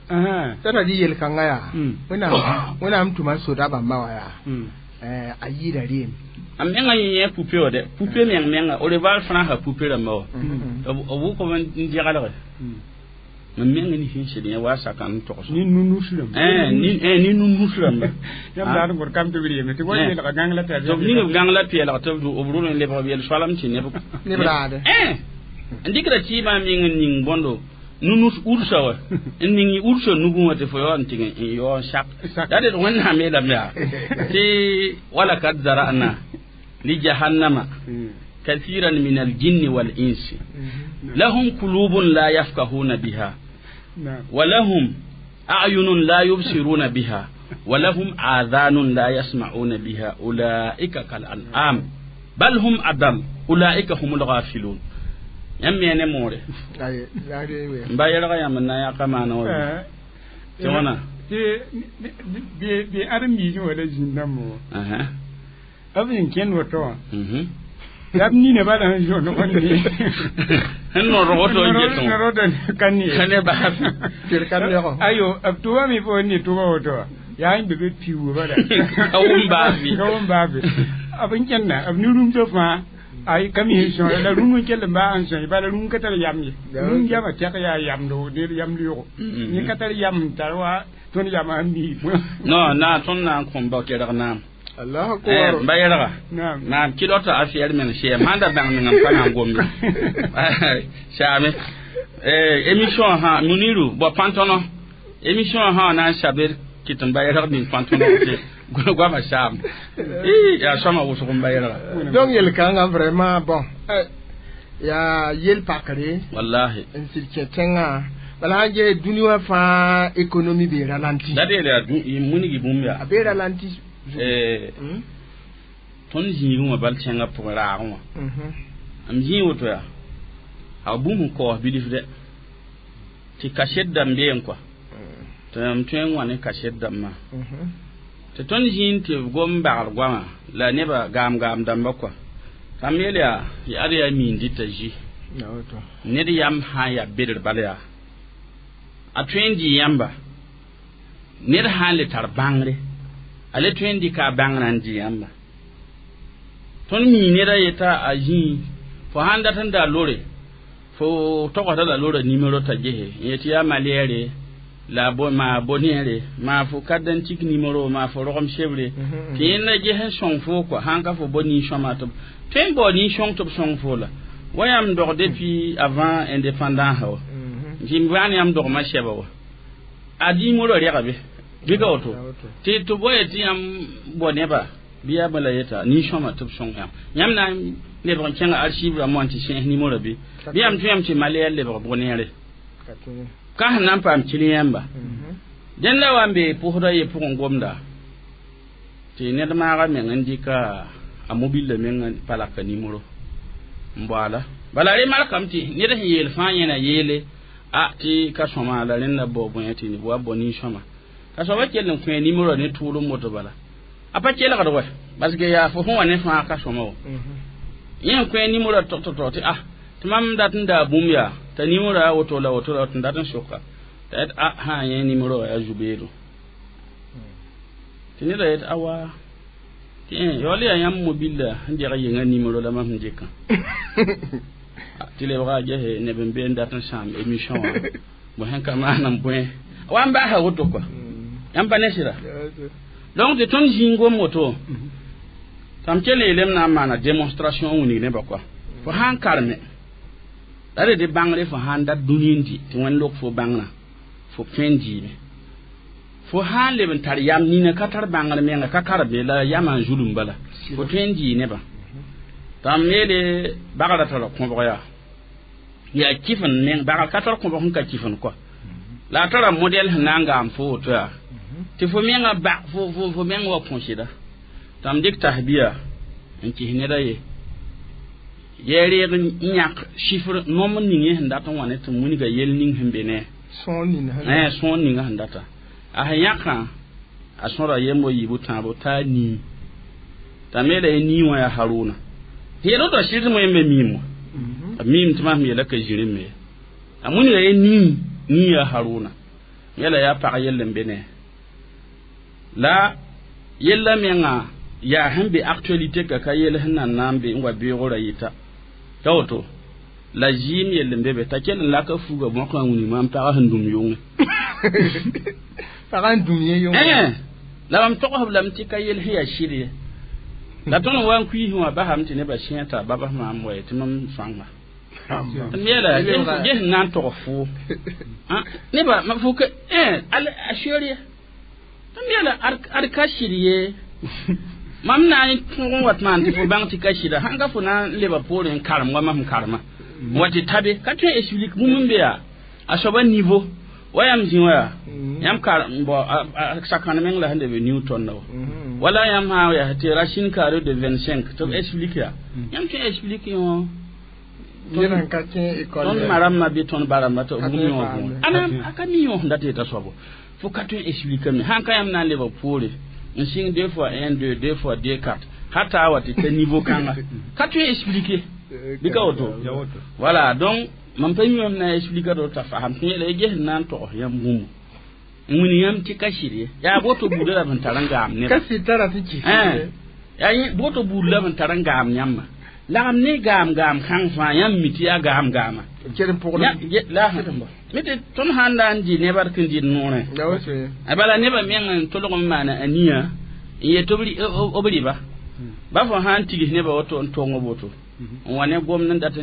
t'a tɩ yel-kãngã yaa wẽnnaam tʋma soda bãmba wã yaa a yɩɩda reem a menga yẽ pupe wa dɛ pupe meng menga Orval frãnsã pupe rãmba wa b wʋkb n dɛgelge mam menga ne sẽn sɩd yẽ wa saka n togs ne nunus rãmba ne nunus rãmba yãmb daad n gõd kam tɩ b reeme tɩ wa yeelga gãng la tɩ b ning b gãng la peelg tɩ b rʋl n lebg b yel-soalem tɩ neb raade n dɩkda tɩɩbã meng n ning bõndo nunus ursa wa n ning ursa nugẽ wã tɩ fo yaool n tɩg n yao n sak la d wẽnnaam yeelame yaa tɩ wala kad zara'na li jahannama kathiran min aljinni wal insi lahum qulubun la yafqahuna biha wa lahum a'yunun la yubsiruna biha wa lahum adhanun la yasma'una biha ulaika kal an'am bal hum adall ulaika humul ghafilun yãmb me ne moore n ba yɛlga yãmb n na n yãka maana wa tɩ wãna tɩ bɩ ãdem-biisẽ wala zĩnd-dãmb wã b sẽn kẽnd woto wã la b nina bala sẽn zoond wãnde sẽn nord woto n getẽ nord ka ne ka ne baas ayo b tʋbame fo ne tʋba woto wã yaa n be be piuug bala ka wʋm baabi ka wʋm baabi b n kẽnda b ne-rũmsã fãa ay kam yin so la rungu kell ba an so ba la rungu katar yam ye rungu yama tek ya yam do ne yam liyo ni katar yam tarwa ton yam an mi no na ton na kom ba kerag na Allah akbar ba yerga na kidota afiyar men she manda bang ngam kana gombe shame émission ha muniru bo pantono émission ha na shaber kitan ba yerga min pantono te goama sham ya sama wʋsg n ba yɛlga donc yel-kãngã vraiment bon yaa yel pakre wallahi n sɩd kẽ tẽngã bala sãn ges dũni wã fãa économie bee ralenti la d yeela yaa munigi bũmb yaa a bee ralenti tõnd zĩigẽ wã bal tẽngã pʋgẽ raagẽ wã m zĩig woto yaa a bũmb n kaoos bilf dɛ tɩ kaset dãmb been kɔa tɩ m tõe n wã ne kaset dãmbã tɩ tõnd zĩnd tɩ b gom bagr goamã la nebã gaam-gaam dãmba kɔa tãmb yeel yaa ad yaa miin dɩta zi ned yam sã n yaa bedr bal yaa a tõe n dɩ yãmba ned sã n le tar bãngre a le tõe n dɩka a bãngrã n dɩ yãmba tõnd mii neda yeta a zĩig fo sãn dat n da lore fo togsda la lora nimero t'a gese n yetɩ yaa malɛɛre la bo ma bonere ma fo carte numéro ma fo rogom sebre tɩ yẽnda ges n sõng fo kɔa sãn ka fo bo nin-sõma tɩ tõe n bao nin-sõng tɩ b sõng fo la wa yãmb dog depuis avant indépendance wa tɩ m bãan yãmb dogmã sɛba wa a numéro rɛga be bɩ ka woto tɩ tɩ bo ye tɩ yãmb bo nebã Biya bala yeta ni sõma tɩ b sõng yãmb yãmb na n lebg n kẽnga archive rãmbã n tɩ sẽs nimorã bɩ bɩ yãmb tũ yãmb tɩ maleya lebg bʋg neere ka sẽn na n paam kil yãmba dẽnd la wa n be pʋsda ye pʋgẽ gomda tɩ ned maaga meng n dɩka a mobile meng pa laka nimoro n baoala bala re markame tɩ ned sẽn yeel fãa yẽna yeele a tɩ ka sõma la rẽnda bao bõe tɩ wa bao nin-sõma ka soaba kell n kõ nimoro ne tʋʋlem woto bala a pa kelgd wɛ parce que yaa fo sẽn wa ne fãa ka sõma wo yẽ n kõ nimoro tog-tog tɩ a tɩ mam dat n daa bũmb yaa t'a nimoro a woto la woto la tɩ n dat n soka t'a yet a sã yẽ nimoro yaa zu-beedo tɩ neda yet awa tɩ yaool yaa yãmb mobila sẽn deg yenga nimoro la mam sẽn dɩkã tɩ lebga gese neb n be n dat n sãam émission wã bõ sẽn ka maan n bõe wa n baasa woto kɔa yãmb pa ne sɩda donc tɩ tõnd zĩig gom woto tãm kell yeelame na n maana démonstration n wilg nebã kɔa fo sã n karme la d dɩ bãngre fo sã n dat dũni n dɩ tɩ wẽnd lok fo bãngrã fo tõe n dɩɩme fo sã n leb n tar yam nina ka tar bãngr menga ka karme la yamã n zulum bala fo tõe n dɩɩ nebã tãm yeele bagrã tara kõbg yaa yaa kɩf n meng bagr ka tar kõbg sẽn ka kɩf n kɔa la a tara modɛl sẽn na n gaam fo woto yaa tɩ fo menga ba fo meng wa kõ sɩda tãm dɩk tasbiya n kɩs neda ye yaa reeg n yãk chiffre nomb ning yẽ sẽn dat n wa ne tɩ wilga yel ning sẽn be ne sõor ninga sẽn data a sẽn yãkã a sõra yembo yiibu tãabo t'a nii t'a me la ye nii wã yaa Haruna yel woto sɩd tɩ moyẽ me miim wã a miim tɩ mam yeela ka zĩrĩ me a wilga ye nii nii yaa Haruna yela yaa pag yell n be ne la yella menga yaa sẽn be actualité ka ka yel sẽn nan na n be n wa beoogrã yɩta t'a woto la zɩɩm yell n be be t'a kell n laka fuga bõkã wilg maam pagã sẽn dũm yʋngẽ pagã n dũm yẽ yʋngẽ la mam togsb lame tɩ ka yel sẽn yaa sɩd ye la tõnd wa n kuiisẽ wã basame tɩ nebã sẽe t'a babas maam wa tɩ mam sõanga m yeela ges n na n tog foo nebã fo ka a seoor m yeela ad ka sɩd ye mam na n tõg n wat maan tɩ fo bãng tɩ ka sɩda sãn ka fo na n leba poorẽ n karem wa mam karema wa tɩ tabe ka tõe n explique bũmb n be yaa a soaba niveau wa yãmb zĩ wa yaa yãmb kar bo sakãn meng la sẽn de be Newton la wa wala yãmb sã yaa tɩ racine carrée de 25 tɩ b explique yaa yãmb tõe n explique yõ tõnd ma rãmbã bɩ tõnd ba rãmbã tɩ b bũmb yõ võore ana a ka mi yõ sẽn dat yeta soabo fo ka tõe n explique me sãn ka yãmb na n lebg poore n sɩng 2 fois 1 2 2 fois 2 4 hata wa tɩ ta niveau kãnga ka tõe n explique bɩ ka woto voilà donc mam pa mi mam na explique do t'a fasam tɩ yeela ges n na n togs yãmb bũmb n wilg yãmb tɩ ka sɩd ye yaa boto buudã la b sẽn tar n gaam nebã ka sɩd tara sẽn kɩs yaa boto buud la b sẽn tar n gaam yãmba lagem ne gaam gaam kãng fãa yãmb mi tɩ yaa gaam gaama mi tɩ tõnd sãn da n dɩ nebã d kẽn dɩd noorẽ bala nebã meng n tolg n maana a nia n yet b rɩba ba fo sã n tigs nebã woto n tong woto n wa ne gomd n dat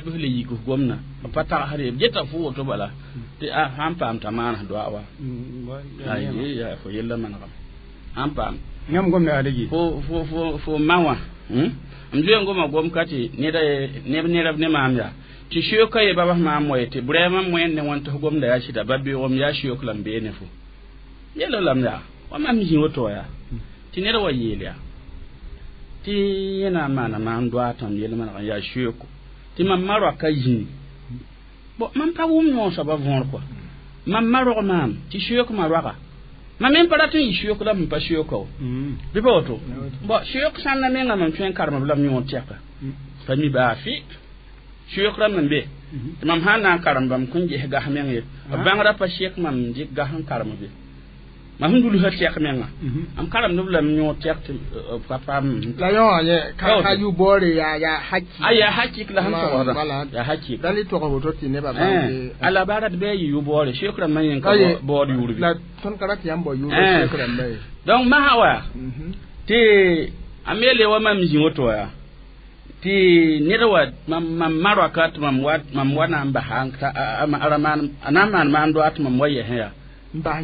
b le yik gomdã b pa tagsd ye b geta fo woto bala tɩ a sãn paam t'a maan doa wa yaa fo yella manegame sãn paam yãmb gomda yaa dagi fo ma wã m zoe n goma gom ka tɩ neb nerb ne maam yaa tɩ seoka ye babas maam wa ye tɩ brɛɛmã moẽnd ne wãn tɩ f gomda yaa sɩda ba beoogem yaa seook la n bee ne fo yelo lame yaa wa mam zĩ woto wa yaa tɩ ned wa yeel yaa tɩ yẽ na n maana maam doa tõnd yel maneg n yaa seooko tɩ mam ma roaka zĩni bon mam pa wʋm yõ soaba võor kɔa mam ma rog maam tɩ seook ma roaga mam me pa rat n yɩ seook la m pa seooka wo bɩ pa woto bon seook sãnda menga mam tõe n karem b la m yõ tɛka pa mi baa fɩ seook rãmb n be tɩ mam sã n na n karem bãmb kõn ges gas meng ye b bãngrã pa sek mam dɩk gas n karem be mam sẽn dulsã tɛk menga m karemd b la m yõ tɛk tɩ pa paam la yõ wã yẽ ka yʋ boore yaa haki a yaa hakik la sẽn togsda yaa hakik la le tog woto tɩ nebã bãng a la barat bɩ a yɩ yʋ boore seook rãmbã yẽn ka baood yʋʋr bɩ la tõnd ka rat yãmb bao yʋʋr seook rãmbã ye donc masã wa tɩ a me le wa mam zĩ woto yaa tɩ ned wa mam ma roaka tɩ mam wa na n basa a na n maan maan doa tɩ mam wa yɛsẽ yaa n bas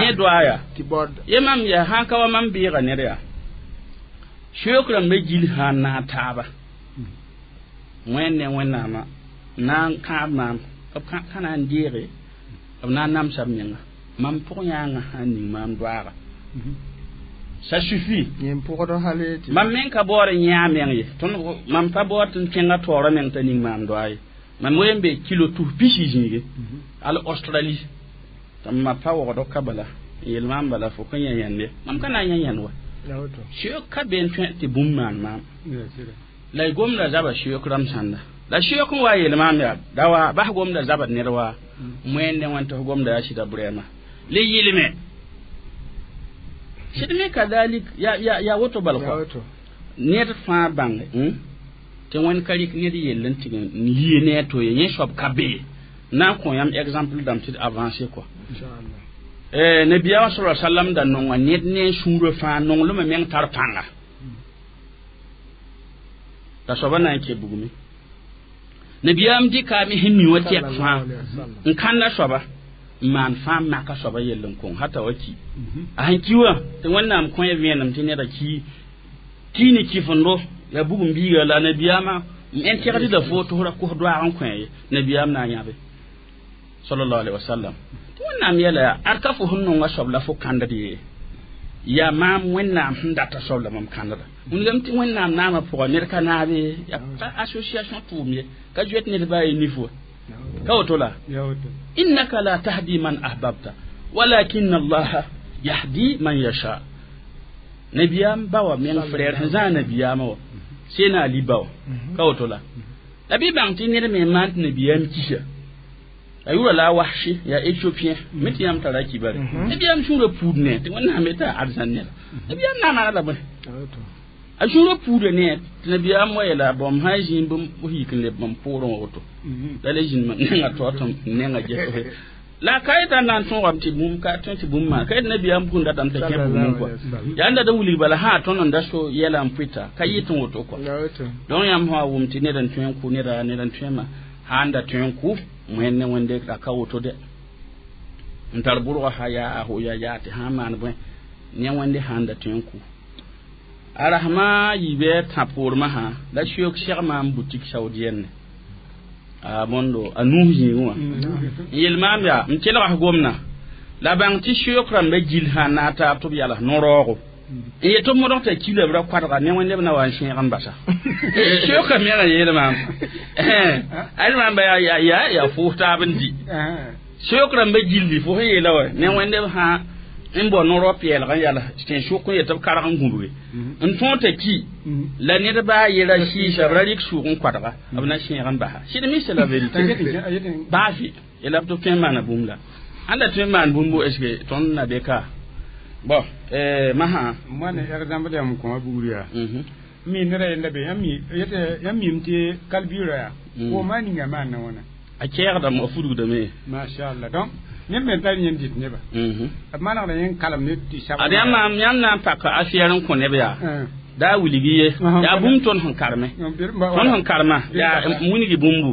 yẽ doa yaa tɩ baood ye mam yaa sãn ka wa mam bɩɩga ned yaa Shukran be jil ha na taaba wẽnde wẽnnaamã na n kãab maam b ka na n deege b na n namsa b menga mam pʋg yãangã sã n ning maam doaaga ça suffit mam meng ka baood n yã meng ye tõnd mam pa baood tɩ n kẽnga taoorã meng t'a ning maam doaa ye mam wen be kilo tus pisi zĩige al Australie tɩ m ma pa waoogd ka bala n yel maam bala fo ka yã yãnde mam ka na n yã yãnd wa seoog ka be n tõe tɩ bũmb maan maam la y gomda zaba seoog rãmb sãnda la seoog n wa yel maam yaa da wa bas gomda zabd ned wa moẽnd wẽn tɩ f gomda yaa sɩda brɛɛma le yɩlme sɩd me kadalik ya woto bal kɔ ned fãa bãnge tɩ wẽnd ka rɩk ned yell n tɩg n lie ne a to ye yẽ soab ka be na n kõ yãmb exemple dãmb tɩ d avancer quoi nabiyaamã sala sallam da nonga ned ne sũurã fãa nonglmã meng tar pãnga la soaba na n ke bugme nabiyaam dɩkame sẽn mi wã tɛk fãa n kãnda soaba n maan fãa maka soaba yell n kõng hata wa ki a sẽn ki wã tɩ wẽnnaam kõ ya vẽenem tɩ neda ki ki ne kifendo ya bugum biiga la nabiyaamã n tẽgd la fo tɩ f ra kos doaag n kõ ye nabiyaam na n yãbe sallallahu alaihi wasallam tɩ wẽnnaam yɛla yaa ad ka fo sẽn nonga soab la fo kãndd ye yaa maam wẽnnaam sẽn data soab la mam kãndda wilgame tɩ wẽnnaam naamã pʋga ned ka naabe yaa pa association tʋʋm ye ka zoet ned baa ye nif wa ka woto la innaka la tahdi man ahbabta walakin allaha yahdi man yasha nabiyaam ba wa meng frère sẽn zãag nabiyaamã wa sena ali ba wa ka woto la la bɩ bãng tɩ ned me maan tɩ nabiyaam kisa a yʋra la a wahshi yaa éthiopien me tɩ yãmb tara kibare nabiyaam sũurã puud ne tɩ wẽnnaam yetã arzãn neda nabiyaam na maana la bõe a sũurã puuda ne tɩ nabiyaam wa yeela bõmb sã n zĩig bãmb yik n leb bãmb poorẽ wa woto la le zĩnd nenga taoor tɩ nenga ges la ka yetã n na n tõogame tɩ bũmb ka tõe tɩ bũmb maan ka yet nabiyaam bũmb datame t'a kẽ bũmb kɔa yaa n dat n wilg bala sã tõnd n da so yɛla n pʋɩta ka yɩt n woto kɔa donc yãmb sã wa wʋm tɩ ned n tõe n kʋ neda ned n tõema sã n da tõe n kʋ wẽnd ne wẽnde la ka woto dɛ n tar bʋrga sã yaa a ya yaa tɩ sã n maan bõe ne wẽnde sã n da tõe n kʋ a rasmã yiibɩ tã poormã sã la seoog segmã n boutique saoudienne a bõndo a nuus zĩigẽ wã n yel maam yaa n kelgs gomna la bãng tɩ seoog rãmba gill sã n na n taab tɩ b yals no-raoogo n yet tɩ b modg t'a kila b ra koadga ne wẽnde b na wa n sẽeg n basa seoogã mengã yeel maam ad maam ba yaa fʋʋs taab n di seoog rãmba gilli fo sẽn yeela wa ne wẽnde b sã n bao no-rao peelg n yals tẽn-sʋk n yet tɩ b karg n gũbge n tõog t'a ki la ned baa yela sɩɩsa b ra rɩk sʋʋg n koadga b na sẽeg n basa sɩd me c'est la vérité baa fɩ yela b tɩ b tõe n maana bũmb la ãn da tõe n maan bũmbo est ce que tõnd na be ka bon masã moane exemple yãmb kõma buud yaa mi neda yella be yãmb mim tɩ kalbiirã yaa kooma ninga maanna wãna a kɛɛgdame a fudgdame machallah donc neb me tar yẽnd dɩt nebã b manegda yẽn kalem ne tɩ sab ad yãmb na n pak affaire n kõ neb yaa daa wilgi ye yaa bũmb tõnd sẽn karme tõnd sẽn karema yaa wilgi bũmbu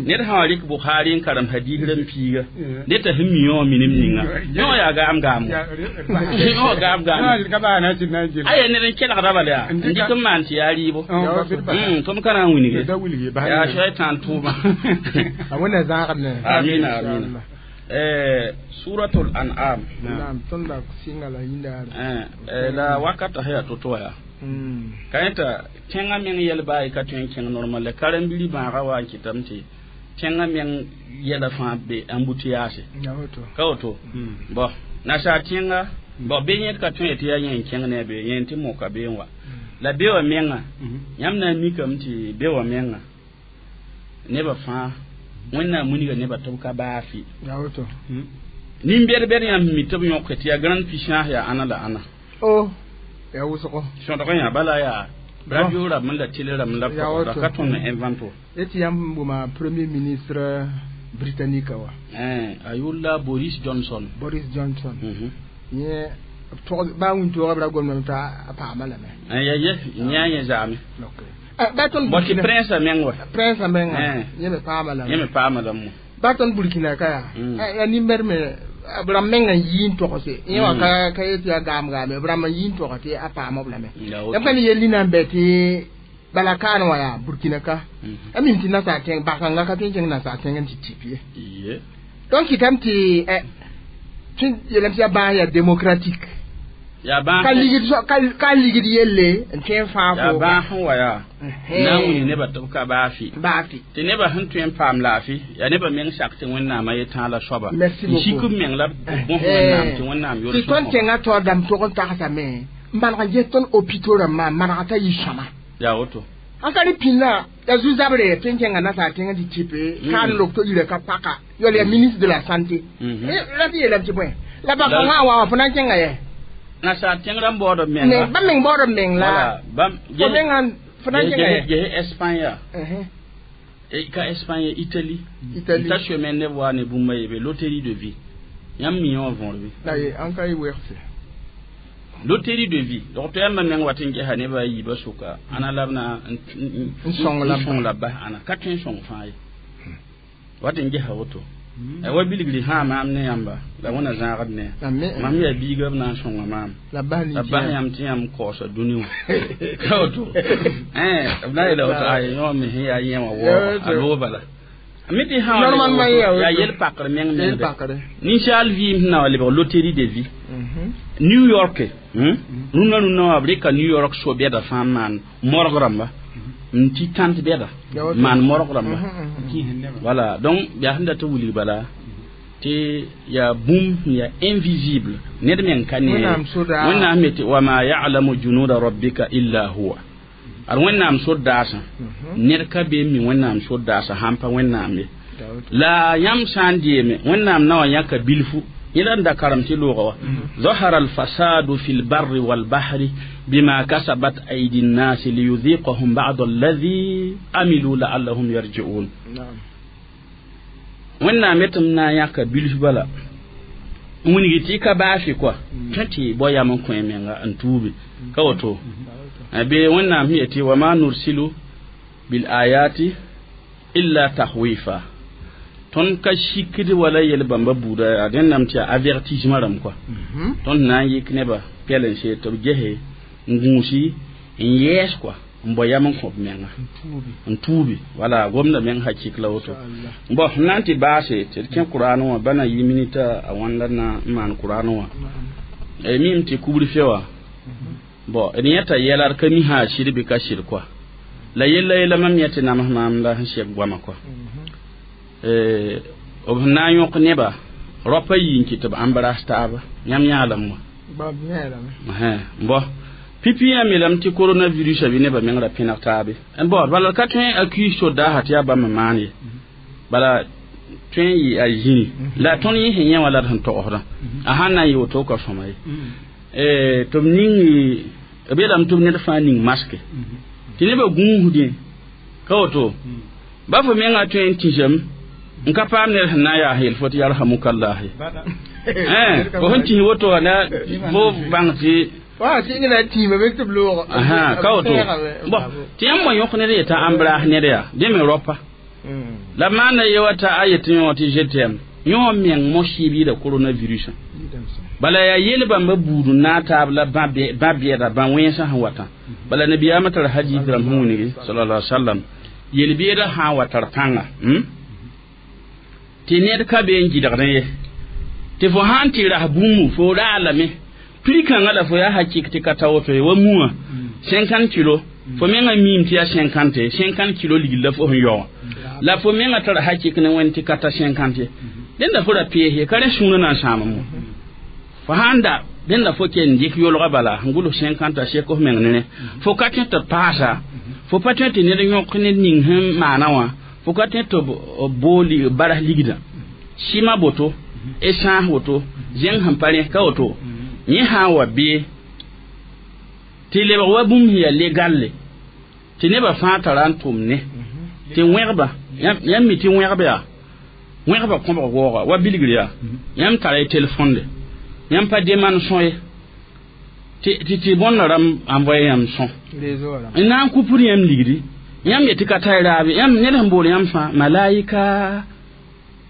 ned sã wa rɩk Bukhari n karem hadis rãmb piiga ned t'a sẽn mi wã minim ninga yõ yaa gaam gaam yõ gaam gaam aya ned n kelgda bala yaa n dɩk n maan tɩ yaa rɩɩbo tɩ m ka na n wilge yaa shaitan tʋʋma wẽnna zãagd amina amina suratul an'am naam tõnd la sɩnga la yĩndaara la wakata sã yaa to-to wa yaa ka yẽta tẽngã meng yɛl baa y ka tõe n kẽng normal la karen-biiri bãaga wa n kɩtame tɩ tẽngã meng yɛla fãa be embouteillage ka woto bon nasaar tẽnga bon be yẽd ka tõe tɩ yaa yẽ n kẽng ne a be yẽ tɩ moka be n wa la be wã menga yãmb na n mikame tɩ be wã menga nebã fãa wẽnnaam wilga nebã tɩ b ka baa fɩ nin-bɛd-bɛd yãmb mi tɩ b yõke tɩ yaa grande puissance yaa ãna la ãna yaa wʋsgo sõdg yã bala yaa radio rãmb la télé rãmb la ra ka tõnd n invento tɩ yãmb wʋma premier ministre britannique wa a yʋl la Boris Johnson Boris Johnson yẽ baa wĩntoogã b ra gomdame t'a paama lame ya ye yã yẽ zaame ba tõnd bon tɩ prince a meng wa prince a menga yẽ me paama lame yẽ me paama lame ba tõnd Burkina ka yaa yaa nin-bɛd me bram menga yin togse yẽ ka ka yet yaa gaam gaame b rãmb n yɩ n tog tɩ a paam b lame yãmb ka ne yell nina n bɛ tɩ bala kaan wã yaa Burkina ka a mim tɩ nasaar tẽng bakãngã ka tõe n kẽng nasaar tẽng n tɩ tɩp ye donc kɩtame tɩ tɩ yeelame tɩ yaa bãas yaa démocratique ka ligd yelle n tõe n fãag yaa bãas sẽn wa yaa na n wilg nebã tɩ b ka baafɩ tɩ nebã sẽn tõe n paam laafɩ yaa nebã meng sak tɩ Wẽnnaamã yetãa la soaba n sik b meng la b bõs Wẽnnaam tɩ Wẽnnaam yol tɩ tõnd kẽngã taoor dãmb tog n tagsame n maneg n ges tõnd hôpitaux rãmbã n manega t'a yɩ sõma yaa woto an ka ne pĩnã yaa zu-zabre tõe n kẽnga nasaar tẽngã tɩ tɩpe kaan lok to yira ka paka yol yaa ministre de la santé la tɩ yeelame tɩ bõe la bakãngã wa wã fo na n kẽnga yɛ nasaar tẽng rãmb baood b menga bãmb meng baood b meng la fo mengã fo na n kẽnga yɛ ges Espagne yaa ka Espagne Italie ta chemin neb wa ne bũmba yebe loterie de vie yãmb mi wã võor bɩ la ye an ka y wegse loterie de vie docteur yãmba meng wat n gesa nebã a yiibã sʋka ãna la b na n sõng la bas ãna ka tõe n sõng fãa ye wat n gesa woto wa bilgri sã maam ne yãmba la wẽna zãagd ne mam yaa biiga b na n sõnga maam la bas yãmb tɩ yãmb kaoosa dũni wã ka woto b na yeela woto ay yõ me sẽn yaa yẽ wã waooga a loog bala mi tɩ sã yaa yel-pakr meng mengde ninsaal vɩɩm sẽn na wa lebg loterie de vie New York rũnã rũnã wã b rɩka New York so-bɛda fãa n maan morg rãmba n tɩ tãnt bɛda maan morg rãmba voilà donc yaa sẽn dat n wilg bala tɩ yaa bũmb sẽn yaa invisible ned meng ka ne Wẽnnaam me tɩ wama ya'lamu junuda rabbika illa huwa ad Wẽnnaam sor-daasã ned ka be n mi Wẽnnaam sor-daasã sãn pa Wẽnnaam ye la yãmb sã n deeme Wẽnnaam na wa yãka bilfu yẽla n da karem tɩ loogã wa ظهر الفساد في البر والبحر بما كسبت أيدي الناس ليذيقهم بعض الذي عملوا لعلهم يرجعون Wẽnnaam yetɩm na n yãka bilf bala n wilg tɩ ka baafɩ koa tõe tɩ bao yam n kõ menga n tuubi ka woto be Wẽnnaam sẽn yetɩ wama nursilu bil ayati illa tahwifa tõnd ka sikd wala yel-bãmba buuda yaa dẽnnaam tɩ yaa avertissement rãmb koa tõnd na n yik nebã pɛl-n-see tɩ b gese n gũusi n yɛɛs koa n bao yam n kõ b menga n tuubi wala gomda meng hakik la woto bon n na n tɩ baase tɩ d kẽ Kuraan wã ba na yɩ minita a wãnda na n maan Kuraan wã mim tɩ kubr fe wã bon d yẽta yɛla d ka mi sã a sɩd bɩ ka sɩd koa la yella yella mam yẽ tɩ nams maam la sẽn sɛk goamã koa b sẽn na n yõk neba raopa yi n kɩ tɩ b embrasse taaba yãmb yãalam wã bon pipi yã melame tɩ coronavirus a bɩ nebã meng ra pẽneg taabe bon bala ka tõe accuse sodaasã tɩ yaa bãmb n maan ye bala tõe n yɩ a zĩni la tõnd yẽ sẽn yẽ wã la d sẽn togsdã a sãn na n yɩ woto ka sõma ye tɩ b ning b yeelame tɩ b ned fãa ning maske tɩ nebã gũusdẽ ka woto ba fo mengã tõe n tĩsame n ka paam ned sẽn na n yaa yel fo tɩ yarhamukallah ye fo sẽn tĩs woto wã na fo bãng tɩ ka woto bon tɩ yãmb wã yõk ned yetã embrasse ned yaa dẽ me raopa la maana ye wa t'a a yetɩ yõ tɩ je t'aime yõ meng mo-sɩɩb yɩɩda coronavirus bala yaa yel-bãmba buud n naag taab la bã bɛɛda bã wẽnsã sẽn watã bala nabiyaamã tar hadith rãmb sẽn wilgi sallallahu alaihi wasallam yel-beedã sã n wa tar pãnga tɩ ned ka be n gɩdgdẽ ye tɩ fo sã n tɩ ras bũmbu fo raa lame prix kãngã la fo yaa hakik tɩ ka ta woto ye wa muã 50 kilo fo mengã miim tɩ yaa 50 50 kilo ligl la fo sẽn yao wã la fo mengã tara hakik ne wẽnd tɩ ka ta 50 ye dẽnda fo ra pees ye ka rẽ sũurã na n sãam mo fo sãn da dẽnda fo ken dɩk yolga bala n gʋls 50 a sek f meng ne fo ka tõe tɩ paasa fo pa tõe tɩ ned yõk ned ning sẽn maana wã fo ka tõe tɩ b bool baras ligdã sɩma boto essence woto zẽng sẽn pa rẽ ka woto yẽ sã n wa bee tɩ lebg wa bũmb sẽn yaa legalle tɩ nebã fãa tara n tʋm ne tɩ wẽgba yãmb mi tɩ wẽgb yaa wẽgba kõbg waooga wa bilgr yaa yãmb tara y telefonde yãmb pa deman sõ ye tɩ tɩ bõnda rãmb envoye yãmb sõ n na n kupr yãmb ligdi yãmb yetɩ ka ta y raabe yãmb ned sẽn bool yãmb fãa malaika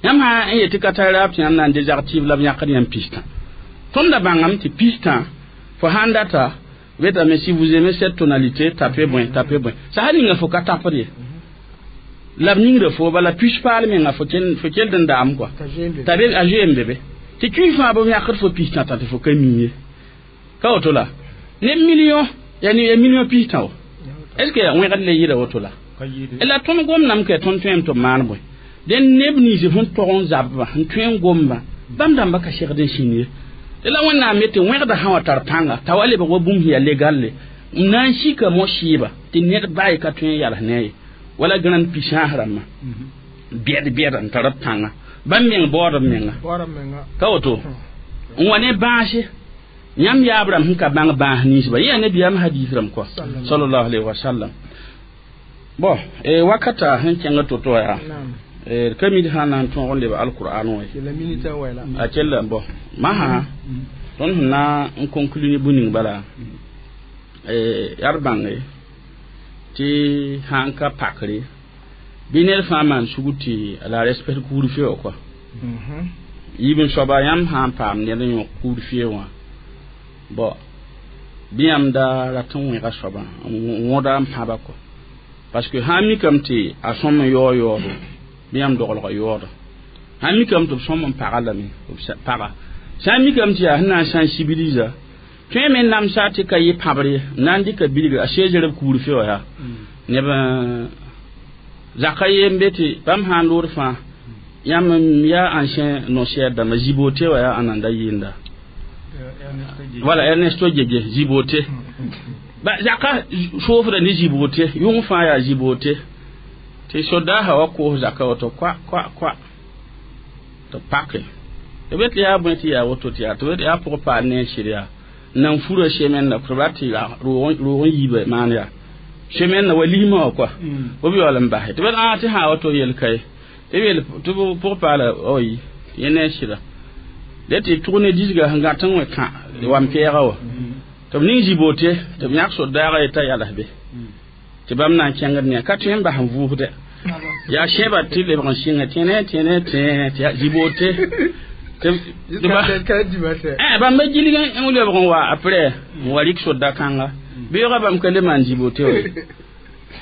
Yãmb sã n yetɩ ka tar raab tɩ yãmb na n désactive la b yãkd yãmb pistã. Tõnd da bãngame tɩ pistã fo sãn data wetame si vous aimez cette tonalité, tapez bõe, tapez bõe. Sã ninga fo ka tapd ye. La b ningda fo bala puce paal menga fo kell n daam quoi. T'a be a zoeem be be. Tɩ tũi fãa b yãkd fo pistã tã tɩ fo ka mi ye. Ka woto la ne million ya ni million pistã wa. Est ce que wẽgd le yɩɩda woto la? La tõnd gomdame ka tõnd tõem tɩ b maan bõe. Dẽn neb nins sẽn tog n zabba n tõe n gomba bãmb dãmba ka segd n sĩnd ye. Tɩ la Wẽnnaam me tɩ wẽgda sã wa tar pãnga t'a wa lebg wa bũmb sẽn yaa legalle n na n sika mo-sɩɩba tɩ ned baa ka tõe n yals ne ye. Wala grande puissance rãmbã bɛd bɛd n tar b pãnga bãmb meng baood b menga. Ka woto n wa ne bãase yãmb yaab rãmb sẽn ka bãng bãas ninsba yẽ yaa nabiyaam hadis rãmb kɔa sallallahu alayhi wa sallam. Bon wakata sẽn kẽngd to-to yaa ka mid sã na n tõog n leb alqur'an wã a kell bon masã tõnd sẽn na n conclure ne bũ-ning bala yaa d bãnge tɩ sã n ka pakre bɩ ned fãa maan sugr tɩ la respect couvre-feu wã kɔa. Yiib n soaba yãmb sã n paam ned n yõk couvre-feu wã bon bɩ yãmb da rat n wẽga soabã n wõda n pãba kɔa. Parce que sã n mikame tɩ a sõm n yaoog yaoodo bɩ yãmb doglga yaooda. Sã n mikame tɩ b sõm n paga lame b paga. Sã n mikame tɩ yaa sẽn na n sensibilisa tõe me n namsa tɩ ka yɩ pãbr ye n na n dɩka bilga a 16 heures b couvre-feu wã yaa neb zaka ye n be tɩ bãmb sã n lood fãa yãmb yaa ancien noncière dãmba Zibote wã yaa ãnanda yɩɩnda. Voilà, Ernesto Djedje Zibote. Ba zaka soofda ne Zibote yʋng fãa yaa Zibote tɩ sodaasã wa koos zaka woto kwa kwa kwa tɩ pake tɩ be tɩ yaa bõe tɩ yaa woto tɩ yaa tɩ be tɩ yaa pʋg paal ne n sɩd yaa nan fura semaine la tɩ b rat tɩ roog n yiiba maan yaa semaine wa lismã wã kɔa b yaool n basɛ tɩ b ã tɩ sã woto yel ka ye tɩ b yel tɩ pʋg paala oyi yẽ ne n sɩda dẽ tɩ tʋg ne disga sẽn gãt n wẽ kã wan pɛɛga wã tɩ b ning Zibote tɩ b yãk sodaaga ye t'a yals be tɩ bãmb na n kẽngd ne ka tõe n bas n vʋʋsdɛ yaa sẽba tɩ lebg n sɩnga tẽne tẽne tẽ tɩ yaa Zibote bãmb ba gilg n lebg n wa après n wa rɩk soda kãnga beoogã bãmb ka le maan Zibote wa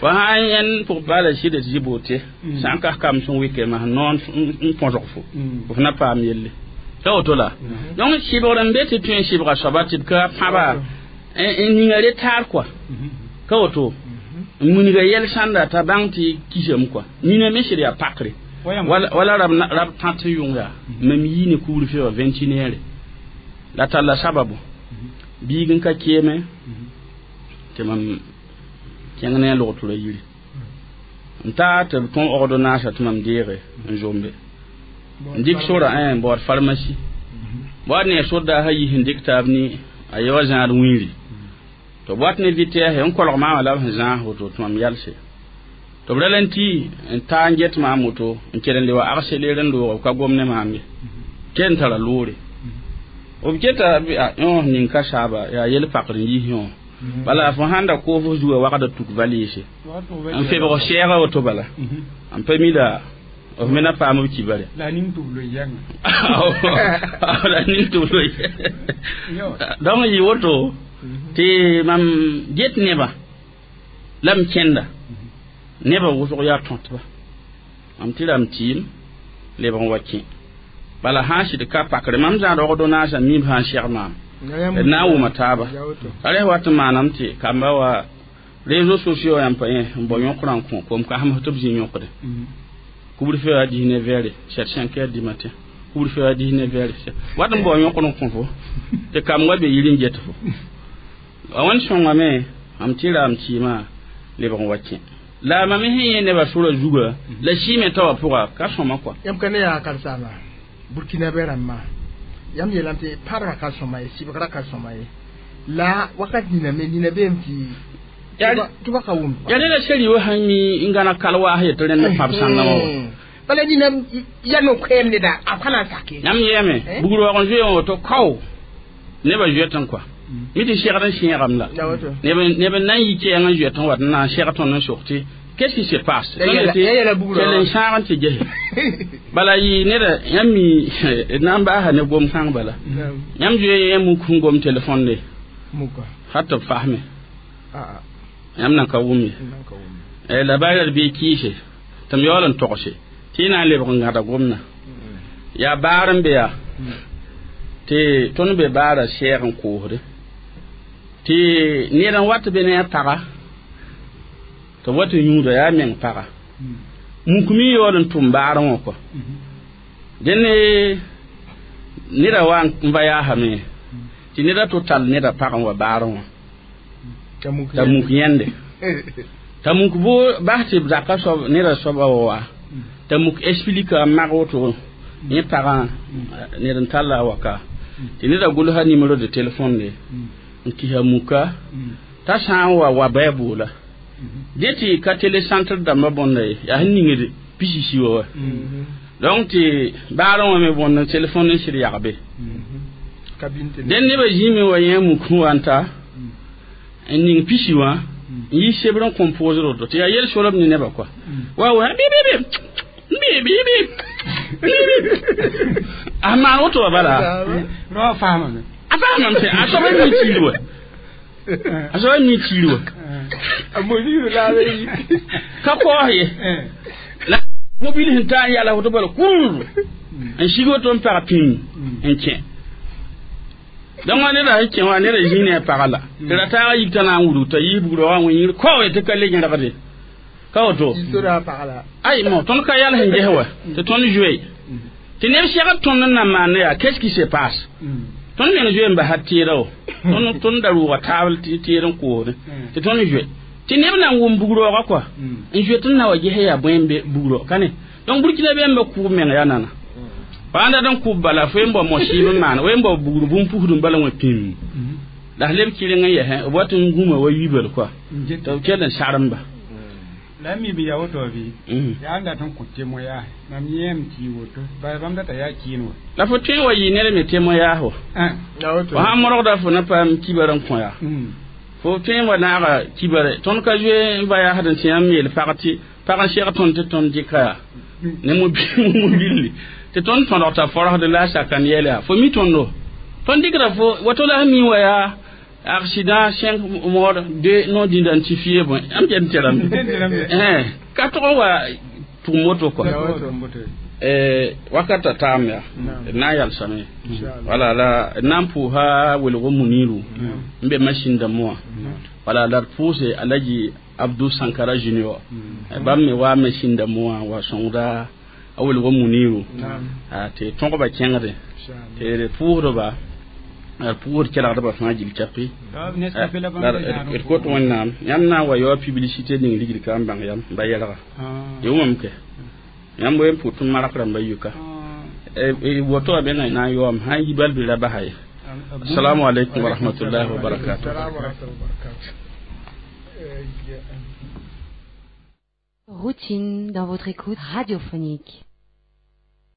wa sã n yẽnd pʋg paala sɩd tɩ Zibote sã n kas kam sẽn wɩke masã noon n põsg fo f na paam yelle ta woto la. Donc sɩbgr n be tɩ tõe n sɩbga soaba tɩ d ka pãba n ninga retard quoi. Ka woto n munga yɛl sãnda t'a bãng tɩ kisame quoi. Nina me sɩd yaa pakre wala rab tãt yʋng yaa mam yii ne couvre-feu wã 21 heures la talla sababu biig n ka keeme tɩ mam kẽng ne a log-tʋra yiri n taa tɩ b tõe ordonnance tɩ mam deege n zombe n dɩk sora n baood pharmacie baood ne sodaasã yis n dɩk taab ni a ye wa zãad wĩiri tɩ b wat ne vitesse n kolg maamã la b sẽn zãas woto tɩ mam yalse tɩ b ra la n tɩ n taa n get maam woto n kell n le wa accéléré n loog b ka gom ne maam ye ken n tara loore b keta yõ ning ka saaba yaa yel pakr n yis yõ bala fo sãn da koos zuga wagda tuk valise n febg sɛɛga woto bala n pa mida b me na paam b kibare la ning tɩ b loe yãnga la ning tɩ b loe donc yɩ woto tɩ mam get nebã la m kẽnda nebã wʋsg yaa tõtba mam tɩ ram tɩɩm lebg n wa kẽ bala sã n sɩd ka pakre mam zãad ordonnance mim sã n sɛg maam d na n wʋma taaba a res wat n maanam tɩ kamba wa réseaux sociaux yãmb pa yẽ n bao yõkrã n kõ kom kasem tɩ b zĩ yõkde couvre-feu à 19 heures 7 5 heures du matin couvre-feu à 19 heures wat n bao yõkr n kõ fo tɩ kam wa be yir n get fo a wãn sõngame mam tɩ ram tɩɩmã lebg n wa kẽ la mam sẽn yẽ nebã sora zuga la sɩɩme t'a wã pʋga ka sõma kɔa yãmb ka ne yaa karsaaba burkina bɛ rãmbã yãmb yeelame tɩ pãrga ka sõma ye sɩbgrã ka sõma ye la wakat nina me nina beem tɩ tɩ ba ka wʋm yaa neda seri wa sãn mi n gãna kal waas yetɩ rẽnd pãb sãngã wã bala nina ya no-koɛɛm neda a pa na n sake yãmb yɛɛme bugr waoog n zoe wã woto kao nebã zoetẽ kɔa mi tɩ segd n sẽegame la neb n na n yi kɛɛng n zoet n wat n na n seg tõnd n sok tɩ qu'est-ce qui se passe? Ya yɛla bugrã kell n sãag n tɩ gese Bala yɩ neda yãmb mi na n baasa ne gom kãng bala. Yãmb zoe yẽ muk sẽn gom telefon de. Muka. Hat tɩ b fasme. A Yãmb nan ka wʋm ye. Nan ka wʋm. La baara d bɩ kɩɩse tɩ m yaool n togse tɩ y na n lebg n gãda gomna. Yaa baar n be yaa tɩ tõnd be baara sɛɛg n koosde tɩ ned n wat be ne a paga tɩ b wa tɩ yũuda yaa meng paga muk me yaool n tʋm baarẽ wã kɔ dẽnd neda wa n va yaasame tɩ neda tʋ tall neda pag n wa baarẽ wã t'a muk yẽnde t'a muk bo bas tɩ b zaka soab neda soaba wa t'a muk explique a mag woto yẽ pagã ned n talla a waka tɩ neda gʋlsa numéro de téléphone de n kisa muka t'a sã n wa wa bɩ a boola dẽ tɩ ka télécentre dãmbã bõnda ye yaa sẽn ningd pisisi wa wa donc tɩ baarẽ wã me bõnd téléphone n sɩd yagbe dẽn nebã zĩime wa yẽ muk sẽn wa n ta n ning pisi wã n yi sebr n composer woto tɩ yaa yel-solem ne nebã kɔa wa wa bi bi bi bi bi bi a maan woto wa bala Rao faamame. A faamame tɩ a soaba mi tiir wa a soaba mi tiir wa A moniru la be yi. Ka koos ye la mobil sẽn taa n yala woto bala kur n sig woto n pag pĩm n kẽ donc neda sẽn kẽ wã neda zĩ ne a pagã la tɩ ra taaga yik t'a na n wudg t'a yiis bugrã wã wẽ kaoe tɩ ka le yẽrgde ka woto Sora pagla. Ay mo tõnd ka yal sẽn ges wa tɩ tõnd zoe tɩ neb segd tõnd n na maan yaa qu'est-ce qui se passe tõnd meng zoe n basa tɩɩra wo tõnd tõnd da rʋʋga taabl tɩ tɩɩr n koosdẽ tɩ tõnd zoe tɩ neb na n wʋm bugroogã kɔa n zoe tɩ n na wa ges yaa bõe n be bugro ka ne donc burkina be n ba kʋʋb meng yaa nana pa n dat n kʋb bala fo n bao mosɩɩb n maan n bao bugr bũn-pusd n bala wã pĩm la s leb kɩreng n yɛsẽ b wat n gũma wa yibl kɔa tɩ b kell n saremba. La mi bi ya woto bi. Ya n dat n kõ témoignage mam yẽem tɩ yɩ woto bala bãmb data yaa kɩɩn wa. La fo tõe n wa yɩ ned me témoignage wa. Ya woto. Fo sãn modgda fo na paam kibar n kõ yaa fo tõe n wa naaga kibare tõnd ka zoe n va yaasd n tɩ yãmb yeel pag tɩ pag n seg tõnd tɩ tõnd dɩka yaa ne mobilli tɩ tõnd tõdg t'a forosd la a sakan yɛl yaa fo mi tõndo tõnd dɩkda fo wato la sẽn mi wa yaa accident cinq morts deux non identifiés bõe yãmb ket n terame ka tʋg n wa tʋg moto kɔa. Ya woto. Wakata taam yaa d na n yalsame wala la d na n pʋʋsa welgo muniru n be machine dãmb wã wala la d pʋʋse Alaji Abdou Sankara Junior bãmb me wa machine dãmb wã wa sõngda a welgo muniru tɩ tõgba kẽngde tɩ d pʋʋsdba d pʋʋsd kelgdbã fãa gil capi d kot Wẽnnaam yãmb na n wa yaoa publicité ning rigd ka n bãng yam n ba yɛlga yɩ wãm kɛ yãmb n pʋt n mark rãmba yuka woto wa be na n yaoom sã n yi bal bɩ ra basa ye. Assalamu alaikum wa rahmatullahi wa barakatuh. Salam wa rahmatullahi wa barakatuh. Routine dans votre écoute radiophonique.